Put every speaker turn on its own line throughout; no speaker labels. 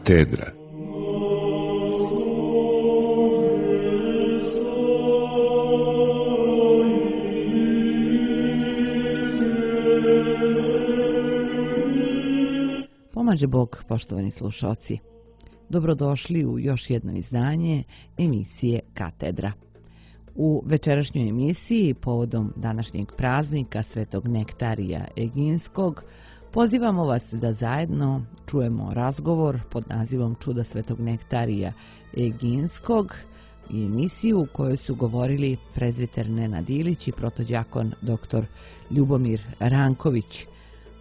Katedra.
Pomaže Bog, poštovani slušalci. Dobrodošli u još jedno izdanje emisije Katedra. U večerašnjoj emisiji, povodom današnjeg praznika Svetog Nektarija Eginskog, pozivamo vas da zajedno čujemo razgovor pod nazivom Čuda Svetog Nektarija Eginskog i emisiju u kojoj su govorili prezbiter Nenad Ilić i protođakon dr. Ljubomir Ranković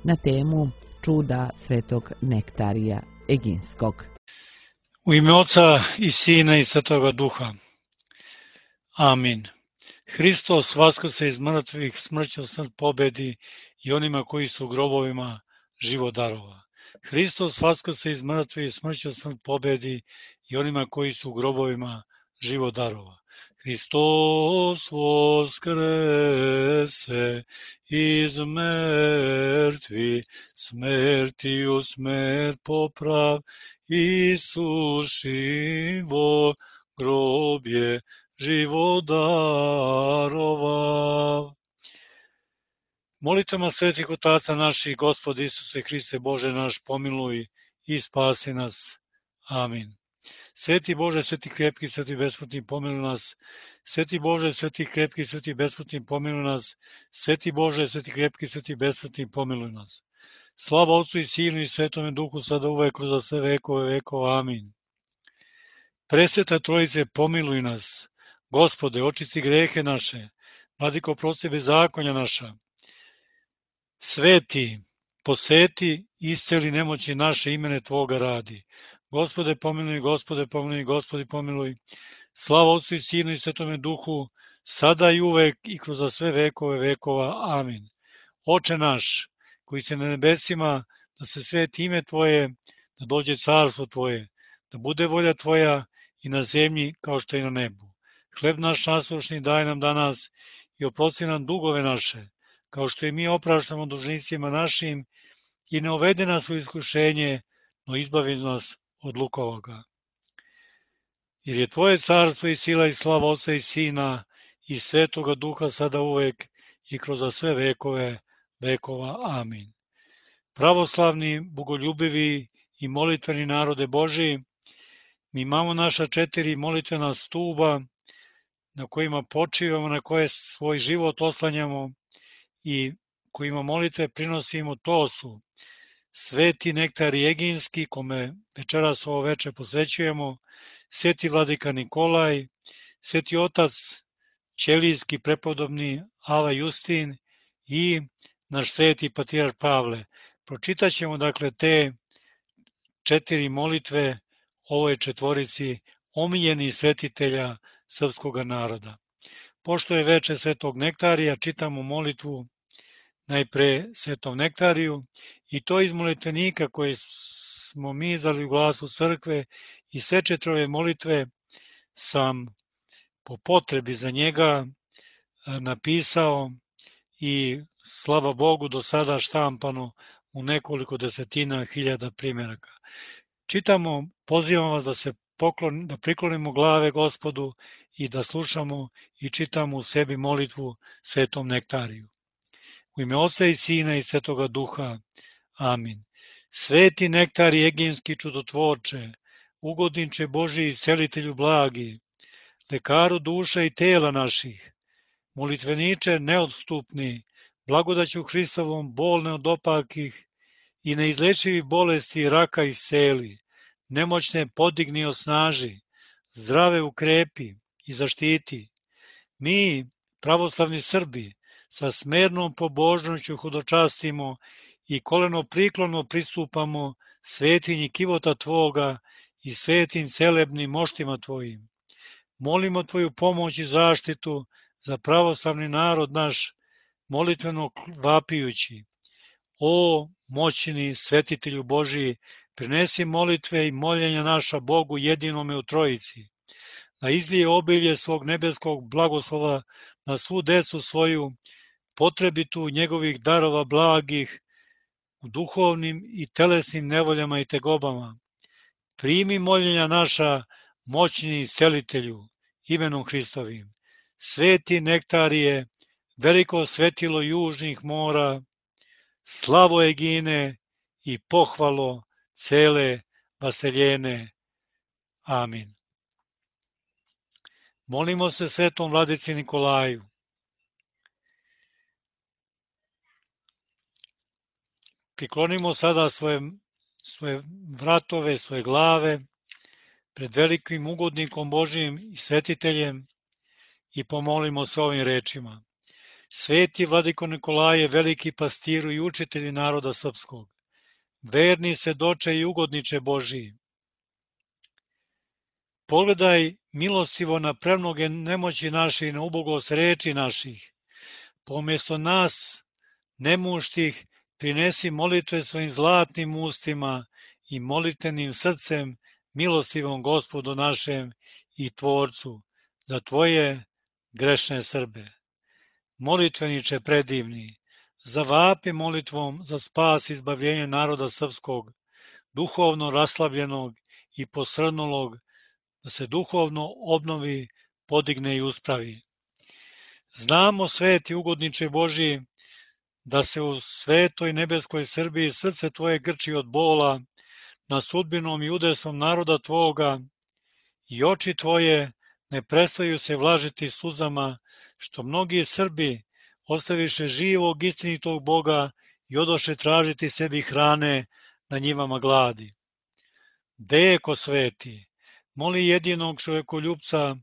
na temu Čuda Svetog Nektarija Eginskog.
U ime Oca i Sina i Svetoga Duha. Amin. Hristos vaskrse iz mrtvih, smrću smrt pobedi i onima koji su u grobovima život darova. Hristos vaskrse iz mrtvih, smrću smrt pobedi i onima koji su u grobovima život darova. Hristos vaskrese iz mrtvih, smrtiju smrt poprav, Isus živo grobje život darova. Molitvama svetih otaca naših, Gospod Isuse Hriste Bože naš, pomiluj i spasi nas. Amin. Sveti Bože, sveti krepki, sveti besplatni, pomiluj nas. Sveti Bože, sveti krepki, sveti besplatni, pomiluj nas. Sveti Bože, sveti krepki, sveti besplatni, pomiluj nas. Slava Otcu i Sinu i Svetome Duhu, sada uvek za sve vekove vekova. Amin. Presveta Trojice, pomiluj nas. Gospode, očisti grehe naše. Vladiko, oprosti bezakonja naša. Sveti, poseti, isceli nemoći naše, imene Tvoga radi. Gospode, pomiluj, Gospode, pomiluj, Gospodi, pomiluj. Slava Otcu i Sinu i Svetome Duhu, sada i uvek i kroz sve vekove vekova. Amin. Oče naš, koji se na nebesima, da se sveti ime Tvoje, da dođe carstvo Tvoje, da bude volja Tvoja i na zemlji kao što je na nebu. Hleb naš nasušni daj nam danas i oprosti nam dugove naše, kao što i mi opraštamo dužnicima našim, i ne uvede nas u iskušenje, no izbavi nas od lukovoga. Jer je Tvoje carstvo i sila i slava Otca i Sina i Svetoga Duha sada uvek i kroz sve vekove vekova. Amin. Pravoslavni, bogoljubivi i molitveni narode Božiji, mi imamo naša 4 molitvena stuba na kojima počivamo, na koje svoj život oslanjamo i kojima molitve prinosimo. To su Sveti Nektarij Eginski, kome večeras ovo veče posvećujemo, Sveti Vladika Nikolaj, Sveti Otac Ćelijski prepodobni Ava Justin i naš Sveti Patrijarh Pavle. Pročitat ćemo dakle te 4 molitve ovoj 4 omiljenih svetitelja srpskog naroda. Pošto je veče Svetog Nektarija, čitamo molitvu najpre Svetom Nektariju, i to iz molitvenika koje smo mi izdali u Glasu crkve, i sve 4 molitve sam po potrebi za njega napisao i slava Bogu do sada štampano u nekoliko desetina hiljada primjeraka. Čitamo, pozivam vas da priklonimo glave Gospodu i da slušamo i čitamo u sebi molitvu Svetom Nektariju. U ime Oca i Sina i Svetoga Duha. Amin. Sveti Nektarij Eginski, čudotvorče, ugodniče Božiji, celitelju blagi, lekaru duša i tela naših, molitveniče neodstupni, blagodaću Hristovom bolne od opakih i neizlečivi bolesti i raka isceli, nemoćne podigni, osnaži, zdrave ukrepi i zaštiti. Mi, pravoslavni Srbi, sa smernom pobožnošću hodočastimo i koleno priklono pristupamo svetinji kivota Tvoga i svetim celebnim moštima Tvojim. Molimo Tvoju pomoć i zaštitu za pravoslavni narod naš, molitveno vapijući. O moćni svetitelju Božiji, prinesi molitve i moljenja naša Bogu jedinome u Trojici, da izlije obilje svog nebeskog blagoslova na svu decu svoju, potrebitu njegovih darova blagih, u duhovnim i telesnim nevoljama i tegobama. primi moljenja naša, moćni iscelitelju, imenom Hristovim. Sveti nektarije, veliko svetilo južnih mora, slavo Egine i pohvalo cele vaseljene. Amin. Molimo se svetom vladici Nikolaju. Priklonimo sada svoje vratove, svoje glave pred velikim ugodnikom Božijim i svetiteljem i pomolimo se ovim rečima. Sveti vladiko Nikolaje, veliki pastiru i učitelji naroda srpskog, verni svedoče i ugodniče Božiji, pogledaj milostivo na premnoge nemoći naše i na ubogost reči naših. Pomjesto nas, nemuštih, prinesi molitve svojim zlatnim ustima i molitvenim srcem milostivom Gospodu našem i Tvorcu za Tvoje grešne Srbe. Molitveniče predivni, zavapi molitvom za spas i izbavljenje naroda srpskog, duhovno raslabljenog i posrnulog, da se duhovno obnovi, podigne i uspravi. Znamo, sveti ugodniče Božiji, da se u svetoj nebeskoj Srbiji srce Tvoje grči od bola na sudbinom i udesom naroda Tvoga i oči Tvoje ne prestaju se vlažiti suzama, što mnogi Srbi ostaviše živog istinitog Boga i odoše tražiti sebi hrane na njivama gladi. Deko sveti, moli jedinog čovekoljupca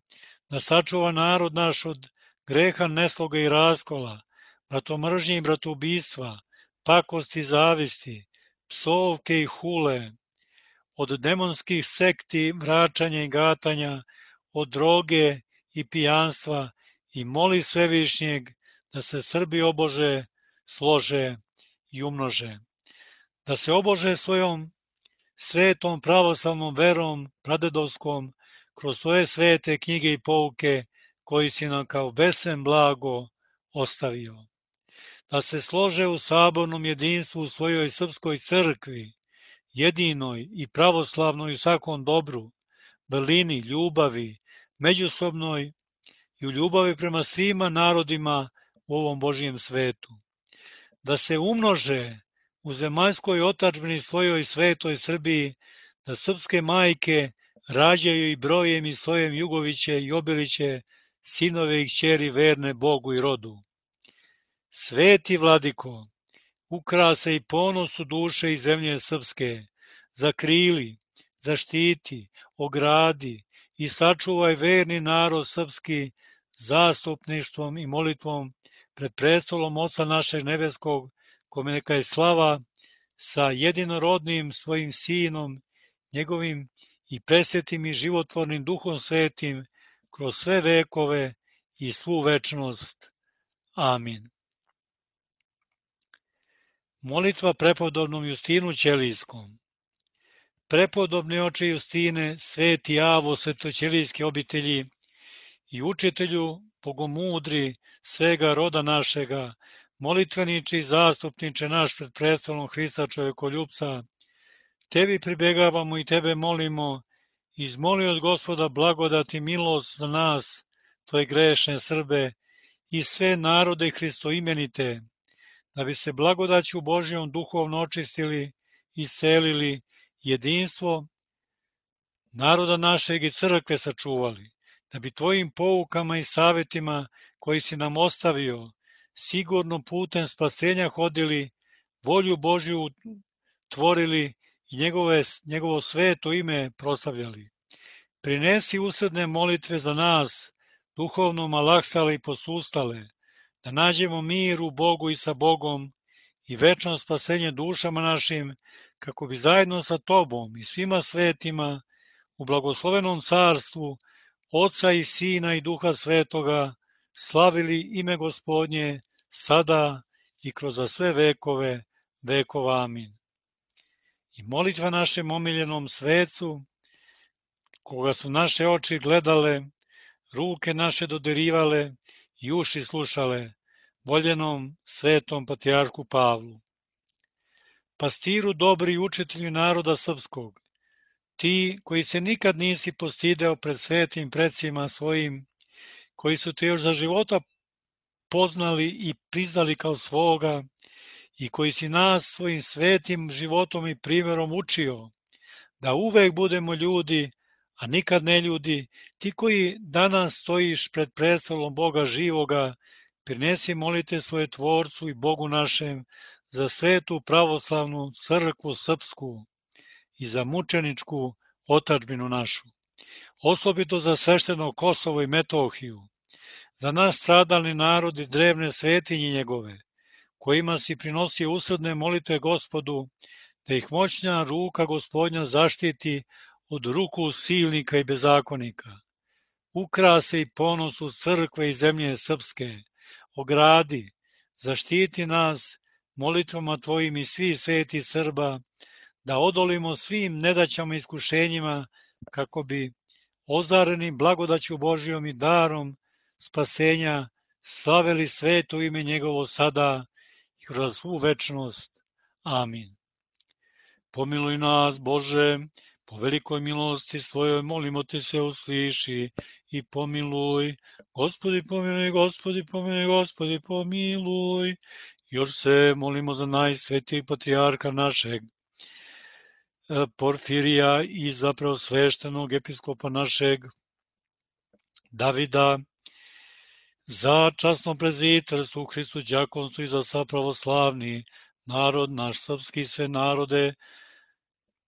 da sačuva narod naš od greha, nesloga i raskola, bratomržnje i bratoubistva, pakosti i zavisti, psovke i hule, od demonskih sekti, vraćanja i gatanja, od droge i pijanstva i moli Svevišnjeg da se Srbi obože, slože i umnože. Da se obože svojom svetom pravoslavnom verom, pradedovskom, kroz svoje svete knjige i pouke koji si nam kao besen blago ostavio. Da se slože u sabornom jedinstvu u svojoj srpskoj crkvi, jedinoj i pravoslavnoj u svakom dobru, vrlini, ljubavi, međusobnoj i u ljubavi prema svima narodima u ovom Božijem svetu. Da se umnože u zemaljskoj otadžbini svojoj svetoj Srbiji, da srpske majke rađaju i brojem i svojem Jugoviće i Obiliće, sinove i kćeri verne Bogu i rodu. Sveti vladiko, ukrase i ponosu duše i zemlje srpske, zakrili, zaštiti, ogradi i sačuvaj verni narod srpski zastupništvom i molitvom pred prestolom Oca našeg nebeskog, kome neka je slava sa jedinorodnim svojim sinom, njegovim i presvetim i životvornim Duhom Svetim, kroz sve vekove i svu večnost. Amin. Molitva prepodobnom Justinu Ćelijskom. Prepodobni oče Justine, sveti Avo svetoćelijske obitelji i učitelju bogomudri svega roda našega, molitveniče i zastupniče naš pred prestolom Hrista čovekoljupca, tebi pribegavamo i tebe molimo, izmoli od Gospoda blagodat i milost za nas, tvoje grešne Srbe i sve narode hristoimenite, da bi se blagodaću Božjom duhovno očistili i selili jedinstvo naroda našeg i crkve sačuvali, da bi tvojim poukama i savjetima koji si nam ostavio, sigurno putem spasenja hodili, volju Božju tvorili i njegovo sveto ime proslavljali. Prinesi usredne molitve za nas, duhovno malaksale i posustale, da nađemo mir u Bogu i sa Bogom i večno spasenje dušama našim, kako bi zajedno sa Tobom i svima svetima u blagoslovenom carstvu Oca i Sina i Duha Svetoga slavili ime Gospodnje sada i kroz sve vekove vekova. Amin. I molitva našem omiljenom svecu, koga su naše oči gledale, ruke naše dodirivale i uši slušale, voljenom svetom patrijarhu Pavlu. Pastiru dobri i učitelju naroda srpskog, ti koji se nikad nisi postideo pred svetim predsima svojim, koji su te još za života poznali i priznali kao svoga i koji si nas svojim svetim životom i primjerom učio, da uvek budemo ljudi, a nikad ne ljudi, ti koji danas stojiš pred prestolom Boga živoga, prinesi molite svoje Tvorcu i Bogu našem za svetu pravoslavnu crkvu srpsku i za mučeničku otadžbinu našu, osobito za svešteno Kosovo i Metohiju, za naš stradalni narod i drevne svetinje njegove, kojima si prinosio usredne molitve Gospodu, da ih moćna ruka Gospodnja zaštiti od ruku silnika i bezakonika. Ukrasi i ponosu crkve i zemlje srpske, ogradi, zaštiti nas molitvama Tvojim i svih sveti Srba, da odolimo svim nedaćama i iskušenjima, kako bi ozareni blagodaću Božijom i darom spasenja slavili sveto ime njegovo sada i kroz svu večnost. Amin. Pomiluj nas, Bože, po velikoj milosti svojoj, molimo te se, usliši i pomiluj. Gospodi pomiluj, Gospodi pomiluj, Gospodi pomiluj. Još se molimo za najsvetijeg patrijarha našeg, Porfirija, i za preosveštenog episkopa našeg Davida, za časno prezbiterstvo u Hristu đakonstvo i za sva pravoslavni narod, naš srpski, sve narode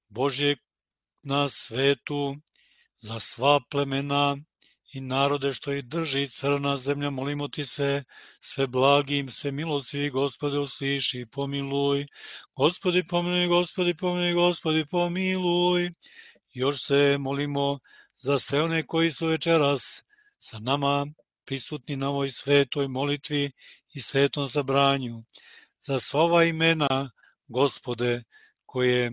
Božje na svetu, za sva plemena i narode što ih drži crna zemlja, molimo ti se, sve blagim, sve milostivi, Gospode, usliši i pomiluj. Gospodi pomiluj, Gospodi pomiluj, Gospodi pomiluj. Još se molimo za sve one koji su večeras sa nama prisutni na ovoj svetoj molitvi i svetom sabranju, za sva ova imena, Gospode, koje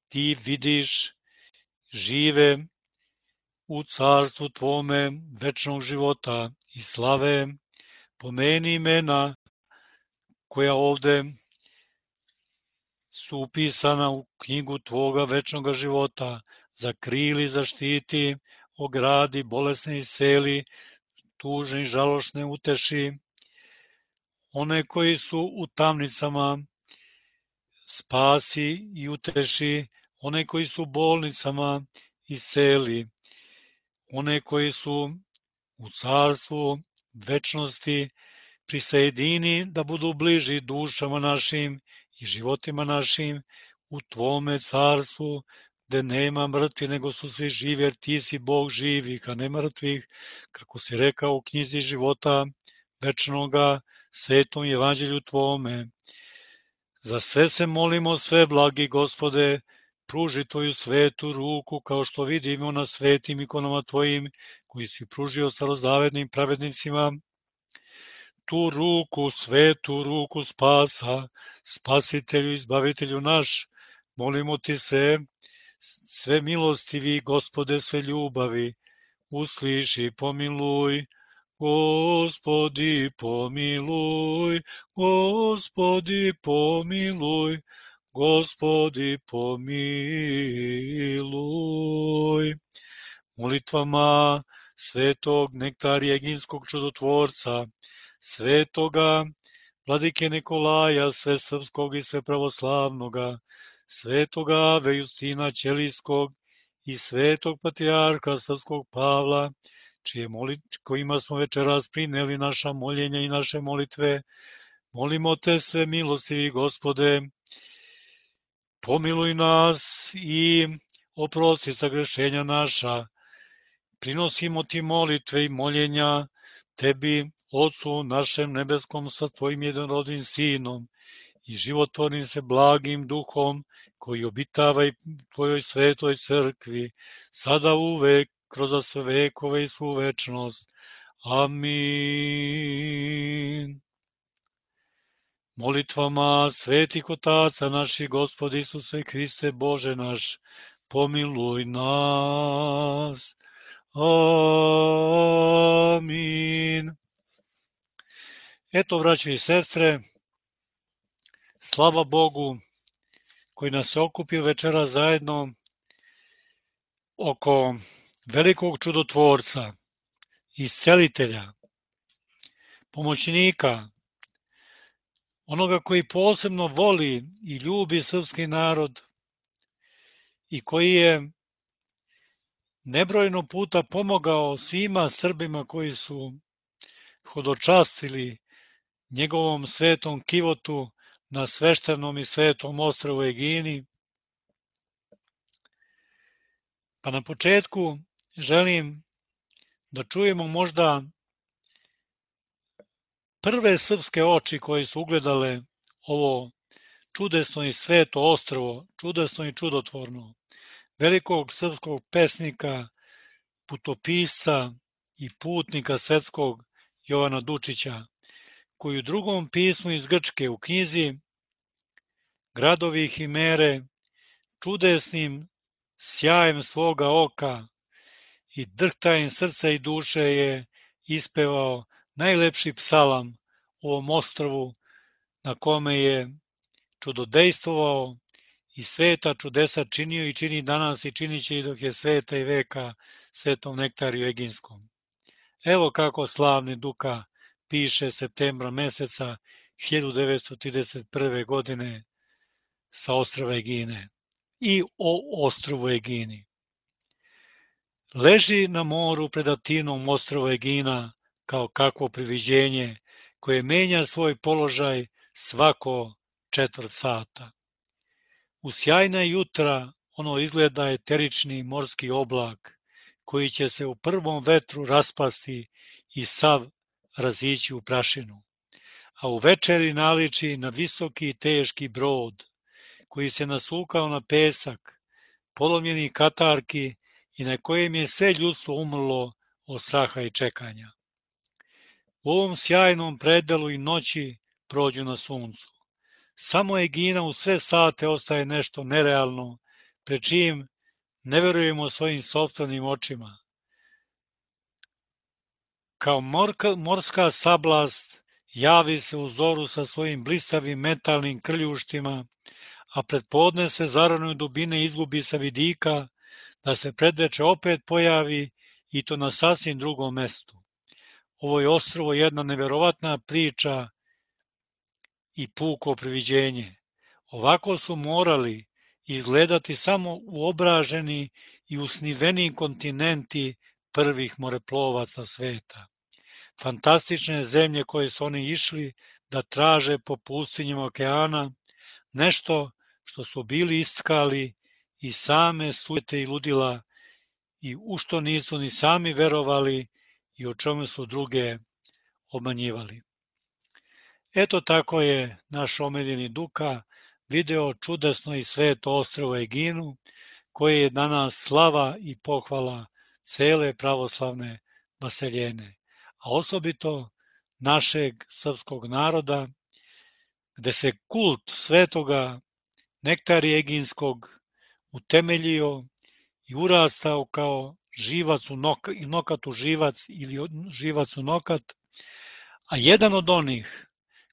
ti vidiš, žive u carstvu Tvome večnog života i slave. Pomeni imena koja ovde su upisana u knjigu Tvoga večnog života, zakrili, zaštiti, ogradi, bolesne isceli, tužne i žalošne uteši, one koji su u tamnicama spasi i uteši, one koji su u bolnicama isceli, one koji su u carstvu večnosti prisajedini, da budu bliži dušama našim i životima našim u Tvome carstvu, gde nema mrtvi, nego su svi živi, jer ti si Bog živih, a ne mrtvih, kako si rekao u knjizi života večnoga, svetom evanđelju Tvome. Za sve se molimo, sve blagi Gospode, pruži Tvoju svetu ruku, kao što vidimo na svetim ikonama Tvojim, koji si pružio starozavetnim pravednicima, tu ruku, svetu ruku spasa, spasitelju, izbavitelju naš, molimo ti se, sve milostivi, Gospode, sve ljubavi, usliši i pomiluj. Gospodi pomiluj, Gospodi pomiluj, Gospodi pomiluj. Molitvama svetog Nektarija Eginskog čudotvorca, svetoga Vladike Nikolaja, sve srpskog i sve pravoslavnoga, svetoga Ave Justina Ćelijskog i svetog patrijarha srpskog Pavla, kojima smo večeras prineli naša moljenja i naše molitve, molimo te sve milostivi, Gospode, pomiluj nas i oprosti sagrešenja naša. Prinosimo ti molitve i moljenja tebi, Otcu našem nebeskom, sa tvojim jednorodnim Sinom i životvornim se blagim Duhom, koji obitava i tvojoj svetoj crkvi, sada uvek, kroz sve vekove i svu večnost. Amin. Molitvama svetih otaca naših, Gospodi Isuse Hriste, Bože naš, pomiluj nas. Amin. Eto, braćo i sestre, slava Bogu koji nas je okupio večera zajedno oko velikog čudotvorca, iscelitelja, pomoćnika, onoga koji posebno voli i ljubi srpski narod i koji je nebrojno puta pomogao svima Srbima koji su hodočastili njegovom svetom kivotu na sveštenom i svetom ostrvu Egini. Pa na početku želim da čujemo možda prve srpske oči koje su ugledale ovo čudesno i sveto ostrvo, čudesno i čudotvorno, velikog srpskog pesnika, putopisca i putnika svetskog Jovana Dučića, koji u drugom pismu iz Grčke u knjizi Gradovi i himere čudesnim sjajem svoga oka i drhtajem srca i duše je ispevao najlepši psalam o ovom ostrvu na kome je čudodejstvovao i sveta čudesa činio i čini danas i činit će i dok je sveta i veka svetom Nektariju Eginskom. Evo kako slavni Duka piše septembra meseca 1931. godine sa ostrva Egine i o ostrvu Egini. Leži na moru pred Atinom ostrvo Egina kao kakvo priviđenje koje menja svoj položaj svako 4 sata. U sjajna jutra ono izgleda eterični morski oblak koji će se u prvom vetru raspasti i sav razići u prašinu, a u večeri naliči na visoki i teški brod koji se nasukao na pesak, polomljeni katarki i na kojem je sve ljudstvo umrlo od straha i čekanja. U ovom sjajnom predelu i noći prođu na suncu. Samo Egina u sve sate ostaje nešto nerealno, pred čim ne verujemo svojim sopstvenim očima. Kao morska sablast javi se u zoru sa svojim blistavim metalnim krljuštima, a pred podne se zarane dubine izgubi sa vidika, da se predveče opet pojavi i to na sasvim drugom mestu. Ovo je ostrvo jedna neverovatna priča i puko priviđenje. Ovako su morali izgledati samo uobraženi i usniveni kontinenti prvih moreplovaca sveta. Fantastične zemlje koje su oni išli da traže po pustinjama okeana, nešto što su bili iskali i same sujete i ludila i u što nisu ni sami verovali i o čemu su druge obmanjivali. Eto tako je naš omiljeni Duka video čudesno i sveto ostrvo Eginu, koje je danas slava i pohvala cele pravoslavne vaseljene, a osobito našeg srpskog naroda, gde se kult svetoga Nektarija Eginskog utemeljio i urastao kao živac u nokat u živac ili živac u nokat, a jedan od onih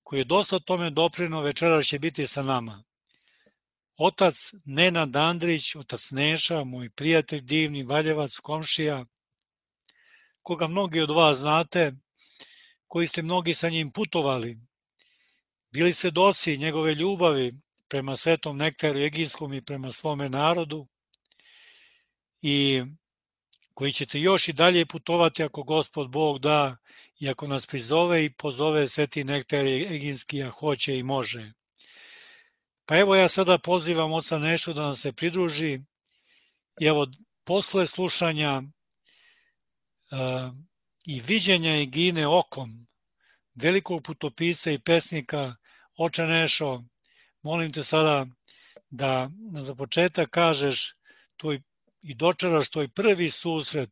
koji je dosta tome doprineo večeras će biti sa nama. Otac Nenad Andrić, otac Neša, moj prijatelj divni, Valjevac, komšija, koga mnogi od vas znate, koji ste mnogi sa njim putovali, bili svedoci njegove ljubavi prema svetom Nektariju Eginskom i prema svome narodu i koji ćete još i dalje putovati ako Gospod Bog da i ako nas prizove i pozove sveti Nektarij Eginski, a hoće i može. Pa evo ja sada pozivam oca Nešu da nam se pridruži i evo posle slušanja i viđenja Egine okom velikog putopisa i pesnika, oče Nešo, molim te sada da za početak kažeš i dočaraš tvoj prvi susret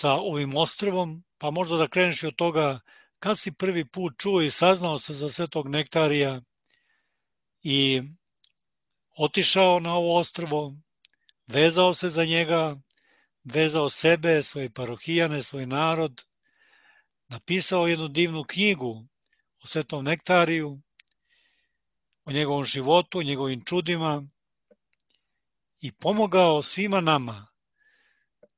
sa ovim ostrvom, pa možda da kreneš od toga kad si prvi put čuo i saznao se za svetog Nektarija i otišao na ovo ostrvo, vezao se za njega, vezao sebe, svoje parohijane, svoj narod, napisao jednu divnu knjigu o svetom Nektariju, o njegovom životu, o njegovim čudima i pomogao svima nama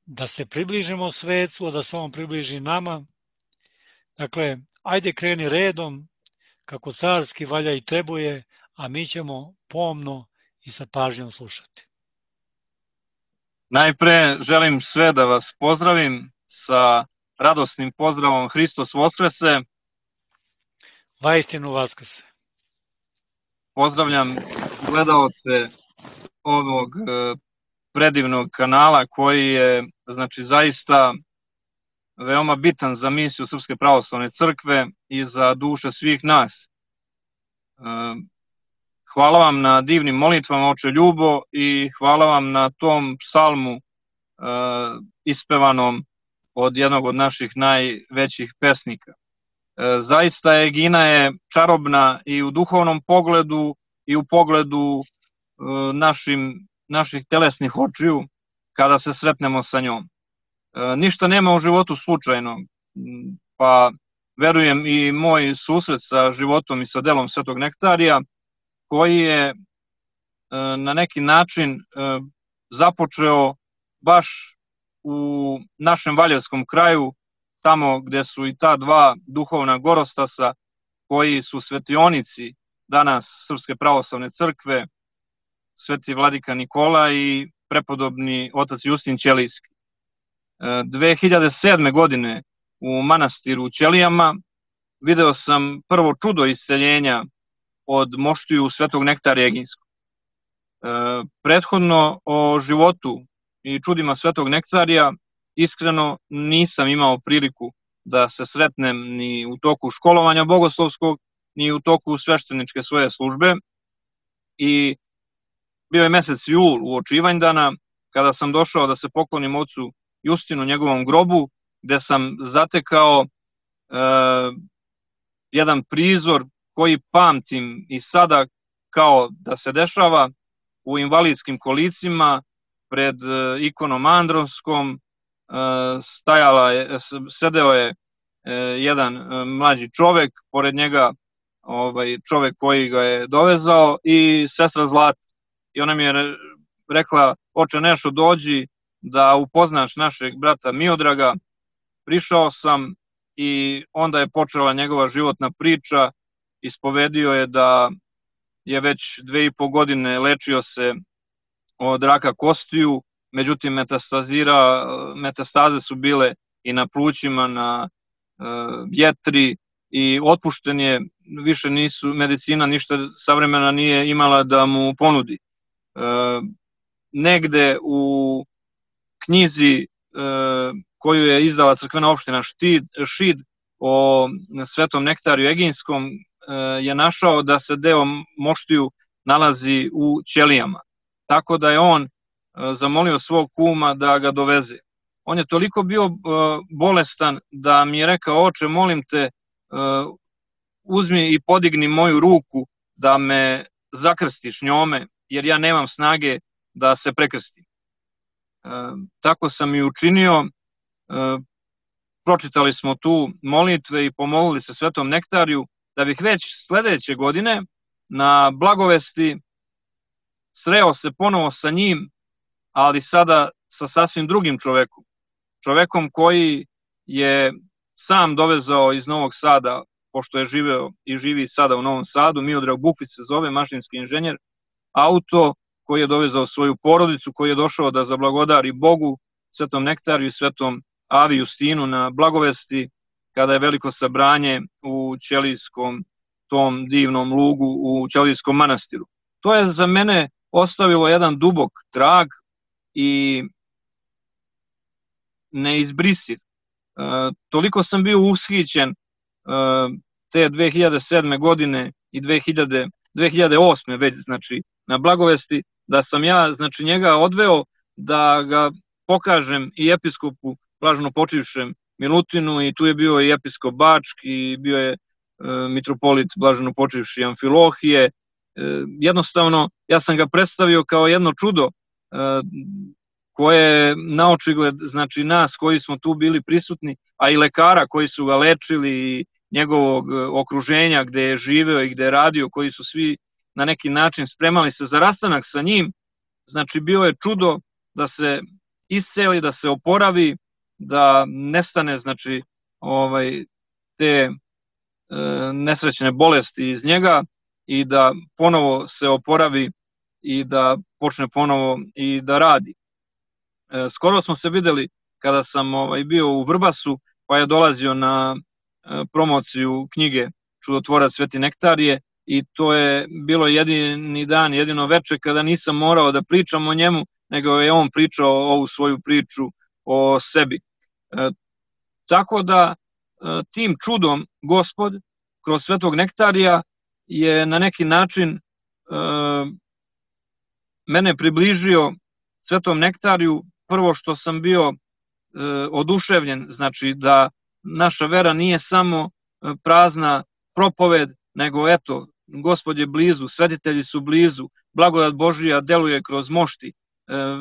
da se približimo svecu, a da se on približi nama. Dakle, ajde kreni redom, kako carski valja i trebuje, a mi ćemo pomno i sa pažnjom slušati.
Najpre želim sve da vas pozdravim sa radosnim pozdravom Hristos Voskrese.
Vaistinu vaskrse.
Pozdravljam gledaoce ovog predivnog kanala koji je zaista veoma bitan za misiju Srpske pravoslavne crkve i za duše svih nas. Hvala vam na divnim molitvama, oče Ljubo, i hvala vam na tom psalmu ispevanom od jednog od naših najvećih pesnika. Zaista Egina je čarobna i u duhovnom pogledu i u pogledu naših telesnih očiju kada se sretnemo sa njom. Ništa nema u životu slučajno, pa verujem i moj susret sa životom i sa delom Svetog Nektarija, koji je na neki način započeo baš u našem Valjevskom kraju, tamo gde su i ta dva duhovna gorostasa, koji su svetionici danas Srpske pravoslavne crkve, sveti vladika Nikola i prepodobni otac Justin Ćelijski. 2007. godine u manastiru u Ćelijama video sam prvo čudo isceljenja od moštiju Svetog Nektarija Eginskog. Prethodno o životu i čudima Svetog Nektarija iskreno nisam imao priliku da se sretnem ni u toku školovanja bogoslovskog, ni u toku svešteničke svoje službe. I bio je mesec jul u oči Ivanjdana, kada sam došao da se poklonim ocu Justinu, njegovom grobu, gde sam zatekao jedan prizor koji pamtim i sada kao da se dešava. U invalidskim kolicima pred ikonom Andronskom sedeo je jedan mlađi čovek, pored njega čovek koji ga je dovezao i sestra Zlata. I ona mi je rekla: oče Nešo, dođi da upoznaš našeg brata Miodraga. Prišao sam i onda je počela njegova životna priča. Ispovedio je da je već 2,5 godine lečio se od raka kostiju, međutim metastaze su bile i na plućima, na jetri, i otpušten je, više medicina ništa savremena nije imala da mu ponudi. Negde u knjizi koju je izdala crkvena opština Šid o Svetom Nektariju Eginskom je našao da se deo moštiju nalazi u Ćelijama. Tako da je on zamolio svog kuma da ga doveze. On je toliko bio bolestan da mi je rekao: oče, molim te, uzmi i podigni moju ruku da me zakrstiš njome, jer ja nemam snage da se prekrstim. Tako sam i učinio. Pročitali smo tu molitve i pomolili se Svetom Nektariju, da bih već sledeće godine na Blagovesti sreo se ponovo sa njim, ali sada sa sasvim drugim čovekom. Čovekom koji je sam dovezao iz Novog Sada, pošto je živeo i živi sada u Novom Sadu, Miodrag Bukvić se zove, mašinski inženjer, auto koji je dovezao svoju porodicu, koji je došao da zablagodari Bogu, Svetom Nektariju i Svetom Avi Justinu na Blagovesti, kada je veliko sabranje u Ćelijskom, tom divnom lugu u Ćelijskom manastiru. To je za mene ostavilo jedan dubok trag i neizbrisiv. Toliko sam bio ushićen te 2007. godine i 2008. već, na Blagovesti, da sam ja, njega odveo da ga pokažem i episkopu blaženopočivšem Milutinu, i tu je bio i episkop Bački, i bio je mitropolit blaženopočivši Amfilohije. Jednostavno, ja sam ga predstavio kao jedno čudo koje na očigled, nas koji smo tu bili prisutni, a i lekara koji su ga lečili i njegovog okruženja gde je živeo i gde je radio, koji su svi na neki način spremali se za rastanak sa njim, znači bilo je čudo da se isceli, da se oporavi, da nestane znači te nesrećne bolesti iz njega i da ponovo se oporavi i da počne ponovo i da radi. Skoro smo se videli kada sam bio u Vrbasu, pa je dolazio na promociju knjige Čudotvorac Sveti Nektarije i to je bilo jedini dan, jedino veče kada nisam morao da pričam o njemu, nego je on pričao ovu svoju priču o sebi. Tako da tim čudom Gospod kroz Svetog Nektarija je na neki način mene približio Svetom Nektariju. Prvo što sam bio oduševljen, znači da naša vera nije samo prazna propoved, nego eto, Gospod je blizu, svetitelji su blizu, blagodat Božija deluje kroz mošti,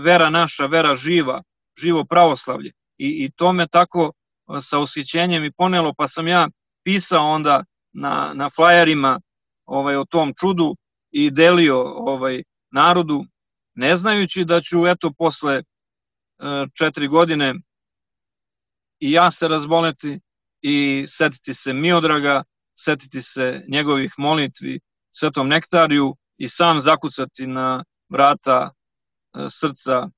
vera naša, vera živa, živo pravoslavlje. I to me tako sa ushićenjem i ponelo, pa sam ja pisao onda na flajerima o tom čudu i delio narodu, ne znajući da ću eto posle 4 godine i ja se razboleti i setiti se Miodraga, setiti se njegovih molitvi Svetom Nektariju i sam zakucati na vrata srca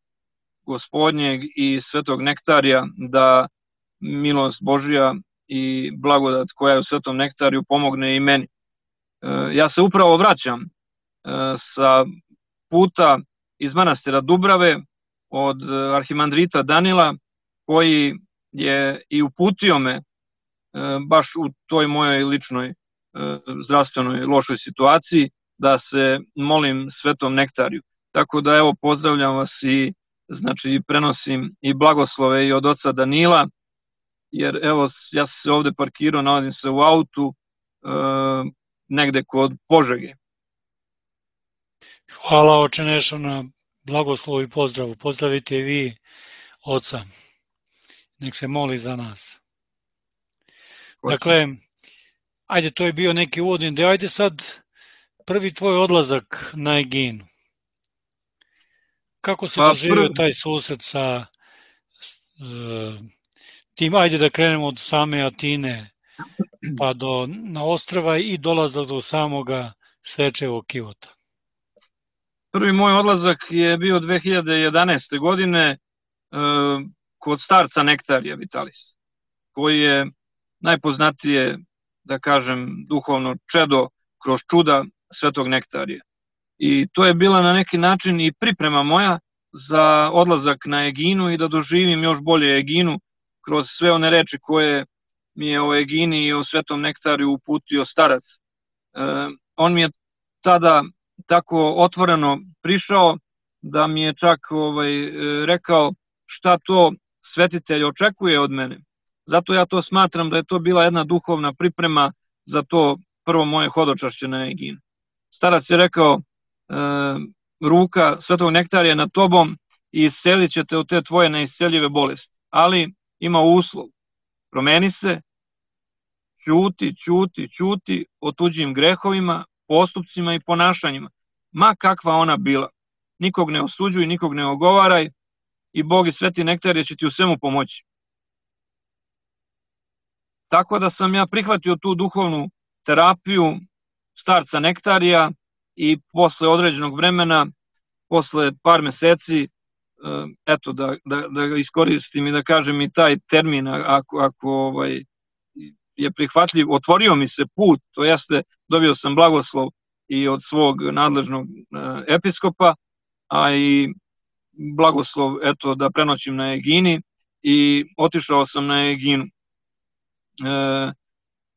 Gospodnjeg i Svetog Nektarija da milost Božja i blagodat koja je u Svetom Nektariju pomogne i meni. Ja se upravo vraćam sa puta iz manastira Dubrave od arhimandrita Danila, koji je i uputio me baš u toj mojoj ličnoj zdravstvenoj lošoj situaciji da se molim Svetom Nektariju. Tako da evo pozdravljam vas i znači prenosim i blagoslove i od oca Danila, jer evo ja sam se ovde parkirao, naladim se u autu negde kod Požege.
Hvala oče Nešo na blagoslovu i pozdravu. Pozdravite i vi oca. Nek se moli za nas. Dakle, ajde, to je bio neki uvodni deo. Ajde sad prvi tvoj odlazak na Eginu. Kako se doživio taj susret sa tim, ajde da krenemo od same Atine pa na ostrava i dolazak do samoga Svečevog Kivota?
Prvi moj odlazak je bio 2011. godine kod starca Nektarija Vitalis, koji je najpoznatije, da kažem, duhovno čedo kroz čuda Svetog Nektarija. I to je bila na neki način i priprema moja za odlazak na Eginu i da doživim još bolje Eginu kroz sve one reči koje mi je o Egini i o Svetom Nektariju uputio starac. On mi je tada tako otvoreno prišao da mi je čak rekao šta to svetitelj očekuje od mene. Zato ja to smatram da je to bila jedna duhovna priprema za to prvo moje hodočašće na Eginu. Starac je rekao, ruka Svetog Nektarija nad tobom i iscelit će te od te tvoje neisceljive bolesti. Ali ima uslov, promeni se, ćuti o tuđim grehovima, postupcima i ponašanjima, ma kakva ona bila. Nikog ne osuđuj, nikog ne ogovaraj i Bog i Sveti Nektarije će ti u svemu pomoći. Tako da sam ja prihvatio tu duhovnu terapiju starca Nektarija i posle određenog vremena, posle par meseci, eto da ga iskoristim i da kažem i taj termin, ako je prihvatljiv, otvorio mi se put, to jeste dobio sam blagoslov i od svog nadležnog episkopa, a i blagoslov eto da prenoćim na Egini i otišao sam na Eginu.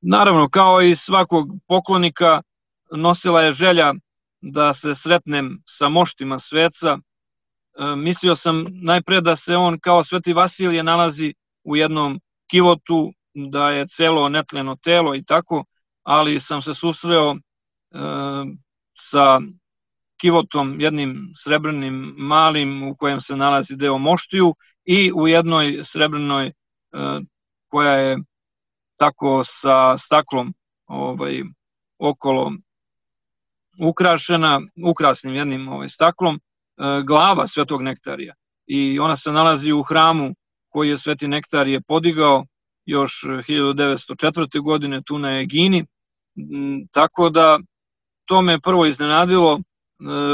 Naravno, kao i svakog poklonika, nosila je želja da se sretnem sa moštima sveca. Mislio sam najpre da se on kao Sveti Vasilije nalazi u jednom kivotu, da je celo netleno telo i tako, ali sam se susreo sa kivotom, jednim srebrnim malim u kojem se nalazi deo moštiju i u jednoj srebrnoj koja je tako sa staklom okolo ukrašena, ukrasnim jednim staklom. glava Svetog Nektarija i ona se nalazi u hramu koji je Sveti Nektarije podigao još 1904. godine tu na Egini, tako da to me prvo iznenadilo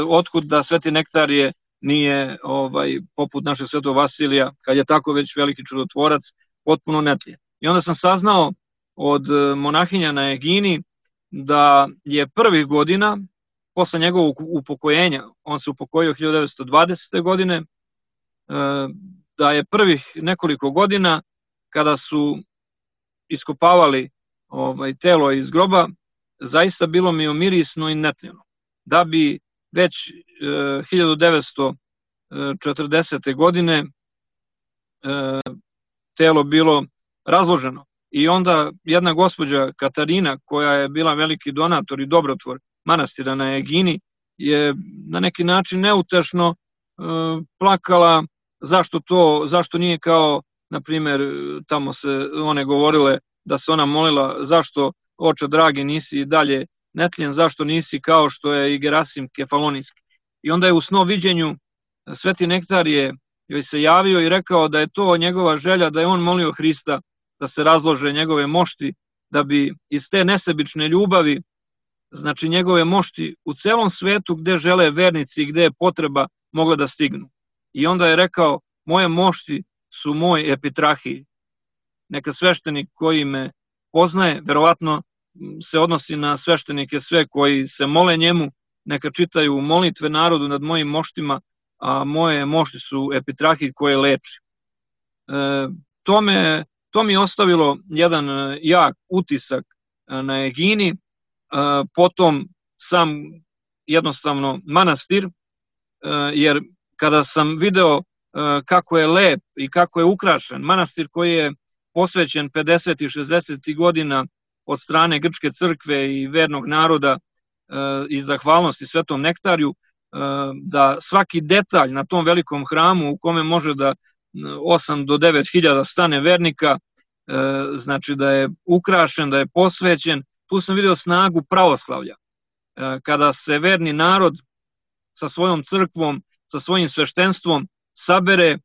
otkud da Sveti Nektarije nije poput našeg Svetog Vasilija, kad je tako već veliki čudotvorac, potpuno netljen. I onda sam saznao od monahinja na Egini da je prvih godina, posle njegovog upokojenja, on se upokojio 1920. godine, da je prvih nekoliko godina kada su iskopavali telo iz groba, zaista bilo mi mirisno i netljeno. Da bi već 1940. godine telo bilo razloženo. I onda jedna gospođa Katarina, koja je bila veliki donator i dobrotvor manastira na Egini, je na neki način neutešno plakala zašto nije kao, na primjer, tamo se one govorile da se ona molila zašto, oče dragi, nisi dalje netljen, zašto nisi kao što je i Gerasim Kefalonijski. I onda je u snoviđenju Sveti Nektarije joj se javio i rekao da je to njegova želja, da je on molio Hrista da se razlože njegove mošti, da bi iz te nesebične ljubavi, znači njegove mošti u celom svetu gde žele vernici i gde je potreba, mogle da stignu. I onda je rekao, moje mošti su moj epitrahij. Neka sveštenik koji me poznaje, verovatno se odnosi na sveštenike sve koji se mole njemu, neka čitaju molitve narodu nad mojim moštima, a moje mošti su epitrahij koje leči. To mi je ostavilo jedan jak utisak na Egini, potom sam jednostavno manastir, jer kada sam video kako je lep i kako je ukrašen, manastir koji je posvećen 50. i 60. godina od strane Grčke crkve i vernog naroda i zahvalnosti Svetom Nektariju, da svaki detalj na tom velikom hramu u kome može da 8 do 9 hiljada stane vernika, znači da je ukrašen, da je posvećen, tu sam video snagu pravoslavlja. Kada se verni narod sa svojom crkvom, sa svojim sveštenstvom sabere,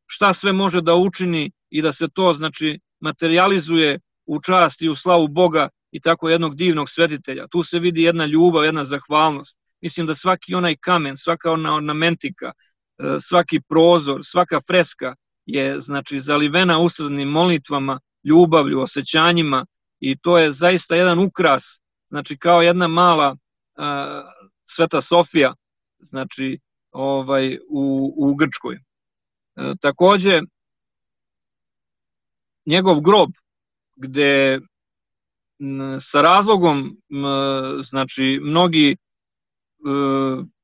šta sve može da učini i da se to, znači, materializuje u čast i u slavu Boga i tako jednog divnog svetitelja. Tu se vidi jedna ljubav, jedna zahvalnost. Mislim da svaki onaj kamen, svaka ona ornamentika, svaki prozor, svaka freska je, znači, zalivena usrednim molitvama, ljubavlju, osjećanjima i to je zaista jedan ukras, znači kao jedna mala Sveta Sofija, znači u Grčkoj. Takođe, njegov grob, gde sa razlogom, znači, mnogi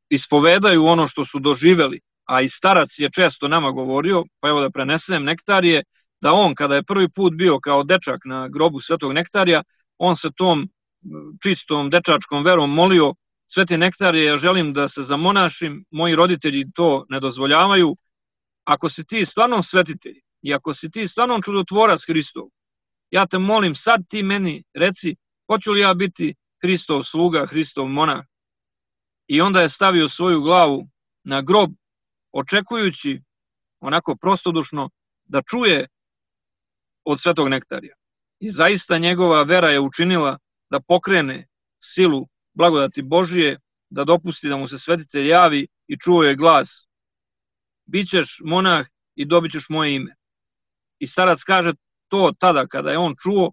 ispovedaju ono što su doživeli, a i starac je često nama govorio, pa evo da prenesem Nektarije, da on kada je prvi put bio kao dečak na grobu Svetog Nektarija, on se tom čistom dečačkom verom molio, Sveti Nektarije, ja želim da se zamonašim, moji roditelji to ne dozvoljavaju, ako si ti stvarno svetitelj i ako si ti stvarno čudotvorac Hristov, ja te molim, sad ti meni reci, hoću li ja biti Hristov sluga, Hristov monah. I onda je stavio svoju glavu na grob, očekujući onako prostodušno da čuje od Svetog Nektarija. I zaista njegova vera je učinila da pokrene silu blagodati Božije, da dopusti da mu se svetitelj javi i čuo je glas: bićeš monah i dobit ćeš moje ime. I starac kaže to tada kada je on čuo,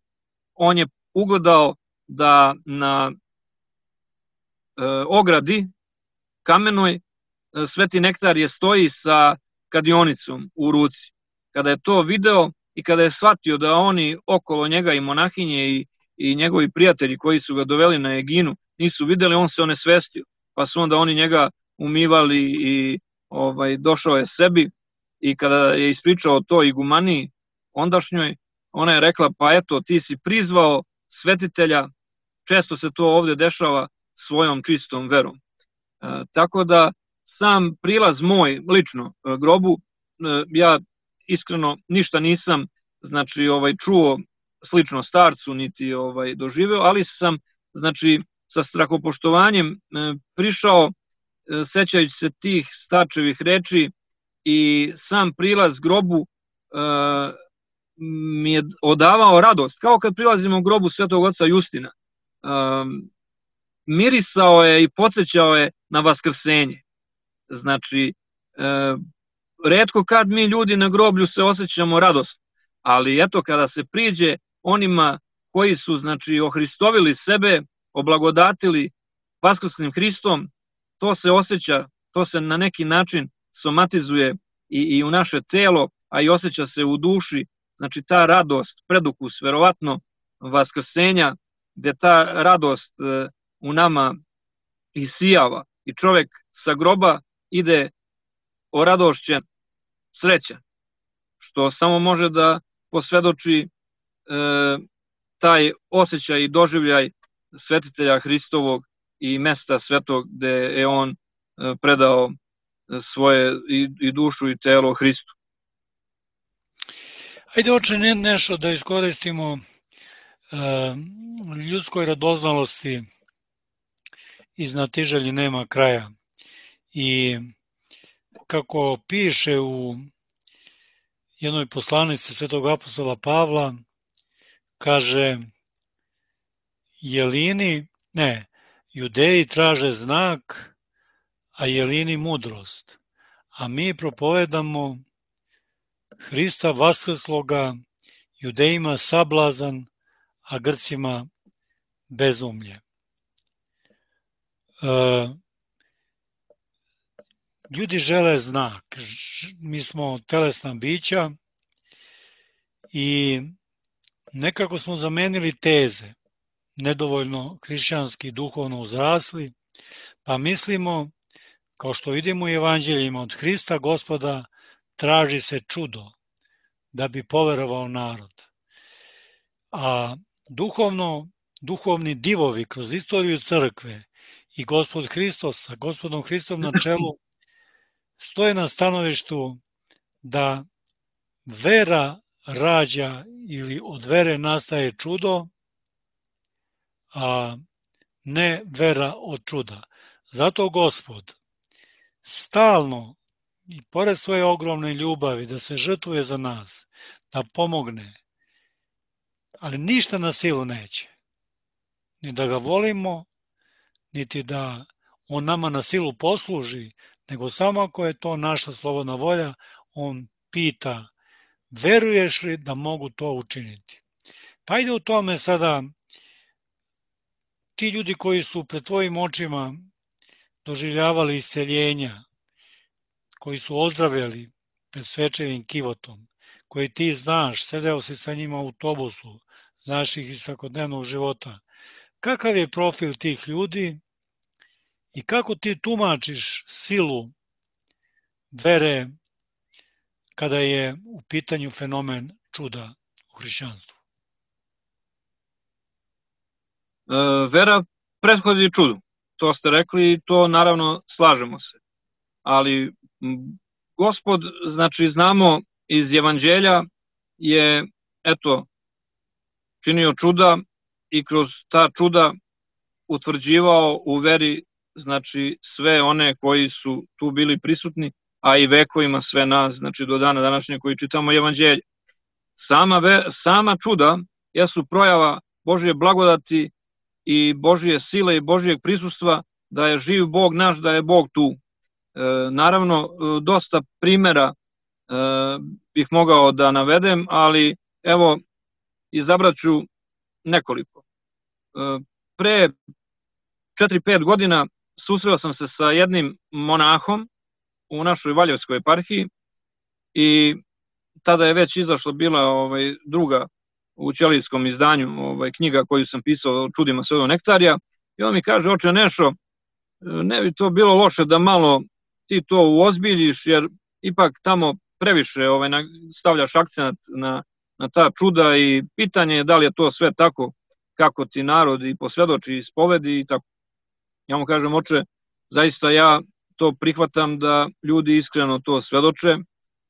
on je ugledao da na ogradi kamenoj Sveti Nektarije stoji sa kadionicom u ruci. Kada je to video i kada je shvatio da oni okolo njega i monahinje i njegovi prijatelji koji su ga doveli na Eginu nisu videli, on se onesvestio. Pa su onda oni njega umivali i došao je sebi i kada je ispričao to igumaniji ondašnjoj, ona je rekla, pa eto, ti si prizvao svetitelja, često se to ovde dešava svojom čistom verom. Tako da sam prilaz moj lično grobu, ja iskreno ništa nisam, znači, čuo slično starcu niti doživeo, ali sam, znači, sa strahopoštovanjem prišao sećajući se tih starčevih reči i sam prilaz grobu mi je odavao radost, kao kad prilazimo u grobu Svetog oca Justina. Mirisao je i podsjećao je na vaskrsenje. Znači, retko kad mi ljudi na groblju se osjećamo radost, ali eto kada se priđe onima koji su, znači, ohristovili sebe, oblagodatili vaskrslim Hristom, to se osjeća, to se na neki način somatizuje i u naše telo, a i osjeća se u duši, znači ta radost, predukus, verovatno vaskrsenja, gde ta radost u nama isijava i čovek sa groba ide oradošćen, srećan, što samo može da posvedoči taj osjećaj i doživljaj svetitelja Hristovog i mesta svetog gde je on predao svoje i dušu i telo Hristu.
Ajde, oče, nešto da iskoristimo ljudskoj radoznalosti i znatiželji nema kraja. I kako piše u jednoj poslanici svetog apostola Pavla, kaže Judeji traže znak, a Jelini mudrost, a mi propovedamo Hrista vaskrsloga, Judejima sablazan, a Grcima bezumlje. Ljudi žele znak, mi smo telesna bića i nekako smo zamenili teze, nedovoljno hrišćanski duhovno uzrasli, pa mislimo, kao što vidimo u evanđeljima, od Hrista Gospoda traži se čudo da bi poverovao narod. A duhovni divovi kroz istoriju crkve i Gospod Hristos sa Gospodom Hristom na čelu stoje na stanovištu da vera rađa ili od vere nastaje čudo, a ne vera od čuda. Zato Gospod stalno i pored svoje ogromne ljubavi da se žrtvuje za nas, da pomogne, ali ništa na silu neće. Ni da ga volimo, niti da on nama na silu posluži, nego samo ako je to naša slobodna volja, on pita, veruješ li da mogu to učiniti? Pa ide u tome sada, ti ljudi koji su pred tvojim očima doživljavali isceljenja, koji su ozdravljali pred svečevim kivotom, koji ti znaš, sedeo si sa njima u autobusu, znaš ih iz svakodnevnog života. Kakav je profil tih ljudi i kako ti tumačiš silu vere kada je u pitanju fenomen čuda u hrišćanstvu?
Vera prethodi čudu. To ste rekli i to naravno slažemo se. Ali Gospod, znači znamo iz evanđelja, je činio čuda i kroz ta čuda utvrđivao u veri, znači sve one koji su tu bili prisutni, a i vekovima sve nas, znači do dana današnje koji čitamo evanđelje. Sama čuda jesu projava Božje blagodati i Božje sile i Božjeg prisustva, da je živ Bog naš, da je Bog tu. Naravno, dosta primera bih mogao da navedem, ali evo, izabrat ću nekoliko. Pre 4-5 godina susreo sam se sa jednim monahom u našoj Valjevskoj eparhiji i tada je već izašla bila druga u ćelijskom izdanju knjiga koju sam pisao o čudima Svetog nektarija, i on mi kaže, oče Nešo, ne bi to bilo loše da malo ti to uozbiljiš, jer ipak tamo previše stavljaš akcent na ta čuda i pitanje je da li je to sve tako kako ti narod i posvedoči i ispovedi i tako. Ja mu kažem, oče, zaista ja to prihvatam da ljudi iskreno to svedoče,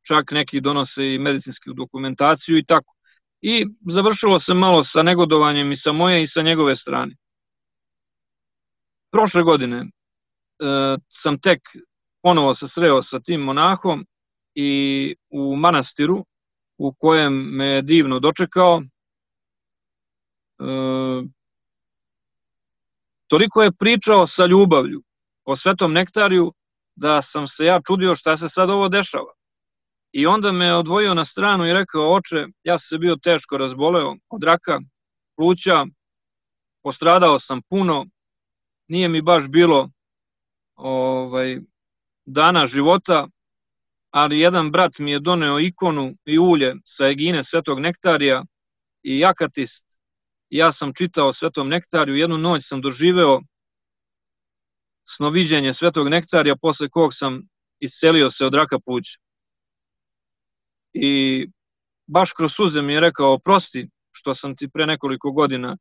čak neki donose i medicinsku dokumentaciju i tako. I završilo se malo sa negodovanjem i sa moje i sa njegove strane. Prošle godine sam tek ponovo se sreo sa tim monahom i u manastiru u kojem me je divno dočekao. Toliko je pričao sa ljubavlju o Svetom nektariju da sam se ja čudio šta se sad ovo dešava. I onda me odvojio na stranu i rekao: oče, ja sam se bio teško razboleo od raka pluća, postradao sam puno, nije mi baš bilo dana života, ali jedan brat mi je doneo ikonu i ulje sa egine Svetog nektarija i akatist. Ja sam čitao o Svetom nektariju, jednu noć sam doživeo snoviđenje Svetog nektarija, posle kog sam iscelio se od raka pluća. I baš kroz suze mi je rekao: oprosti što sam ti pre nekoliko godina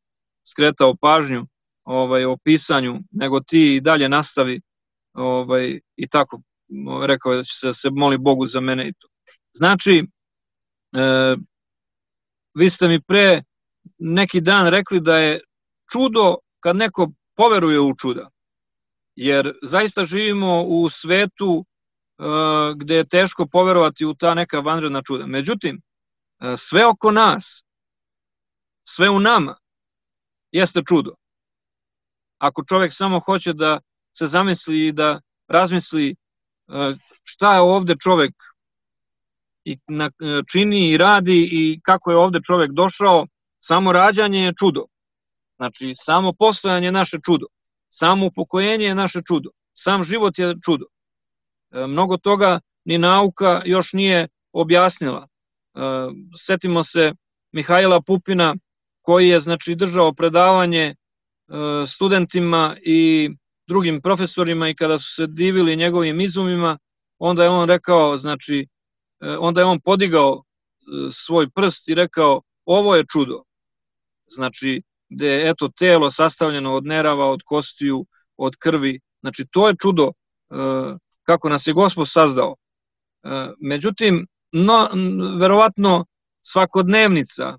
skretao pažnju o pisanju, nego ti i dalje nastavi, i tako rekao da će se moli Bogu za mene i to. Znači, vi ste mi pre neki dan rekli da je čudo kad neko poveruje u čuda, jer zaista živimo u svetu gde je teško poverovati u ta neka vanredna čuda. Međutim, sve oko nas, sve u nama jeste čudo. Ako čovjek samo hoće da se zamisli i da razmisli šta je ovde čovjek čini i radi i kako je ovde čovjek došao, samo rađanje je čudo. Znači, samo postojanje je naše čudo. Samo upokojenje je naše čudo. Sam život je čudo. Mnogo toga ni nauka još nije objasnila. Setimo se Mihajla Pupina, koji je držao predavanje studentima i drugim profesorima, i kada su se divili njegovim izumima, onda je on rekao, onda je on podigao svoj prst i rekao: ovo je čudo. Znači, gde je eto telo sastavljeno od nerava, od kostiju, od krvi. Znači, to je čudo kako nas je Gospod sazdao. Međutim, verovatno svakodnevnica,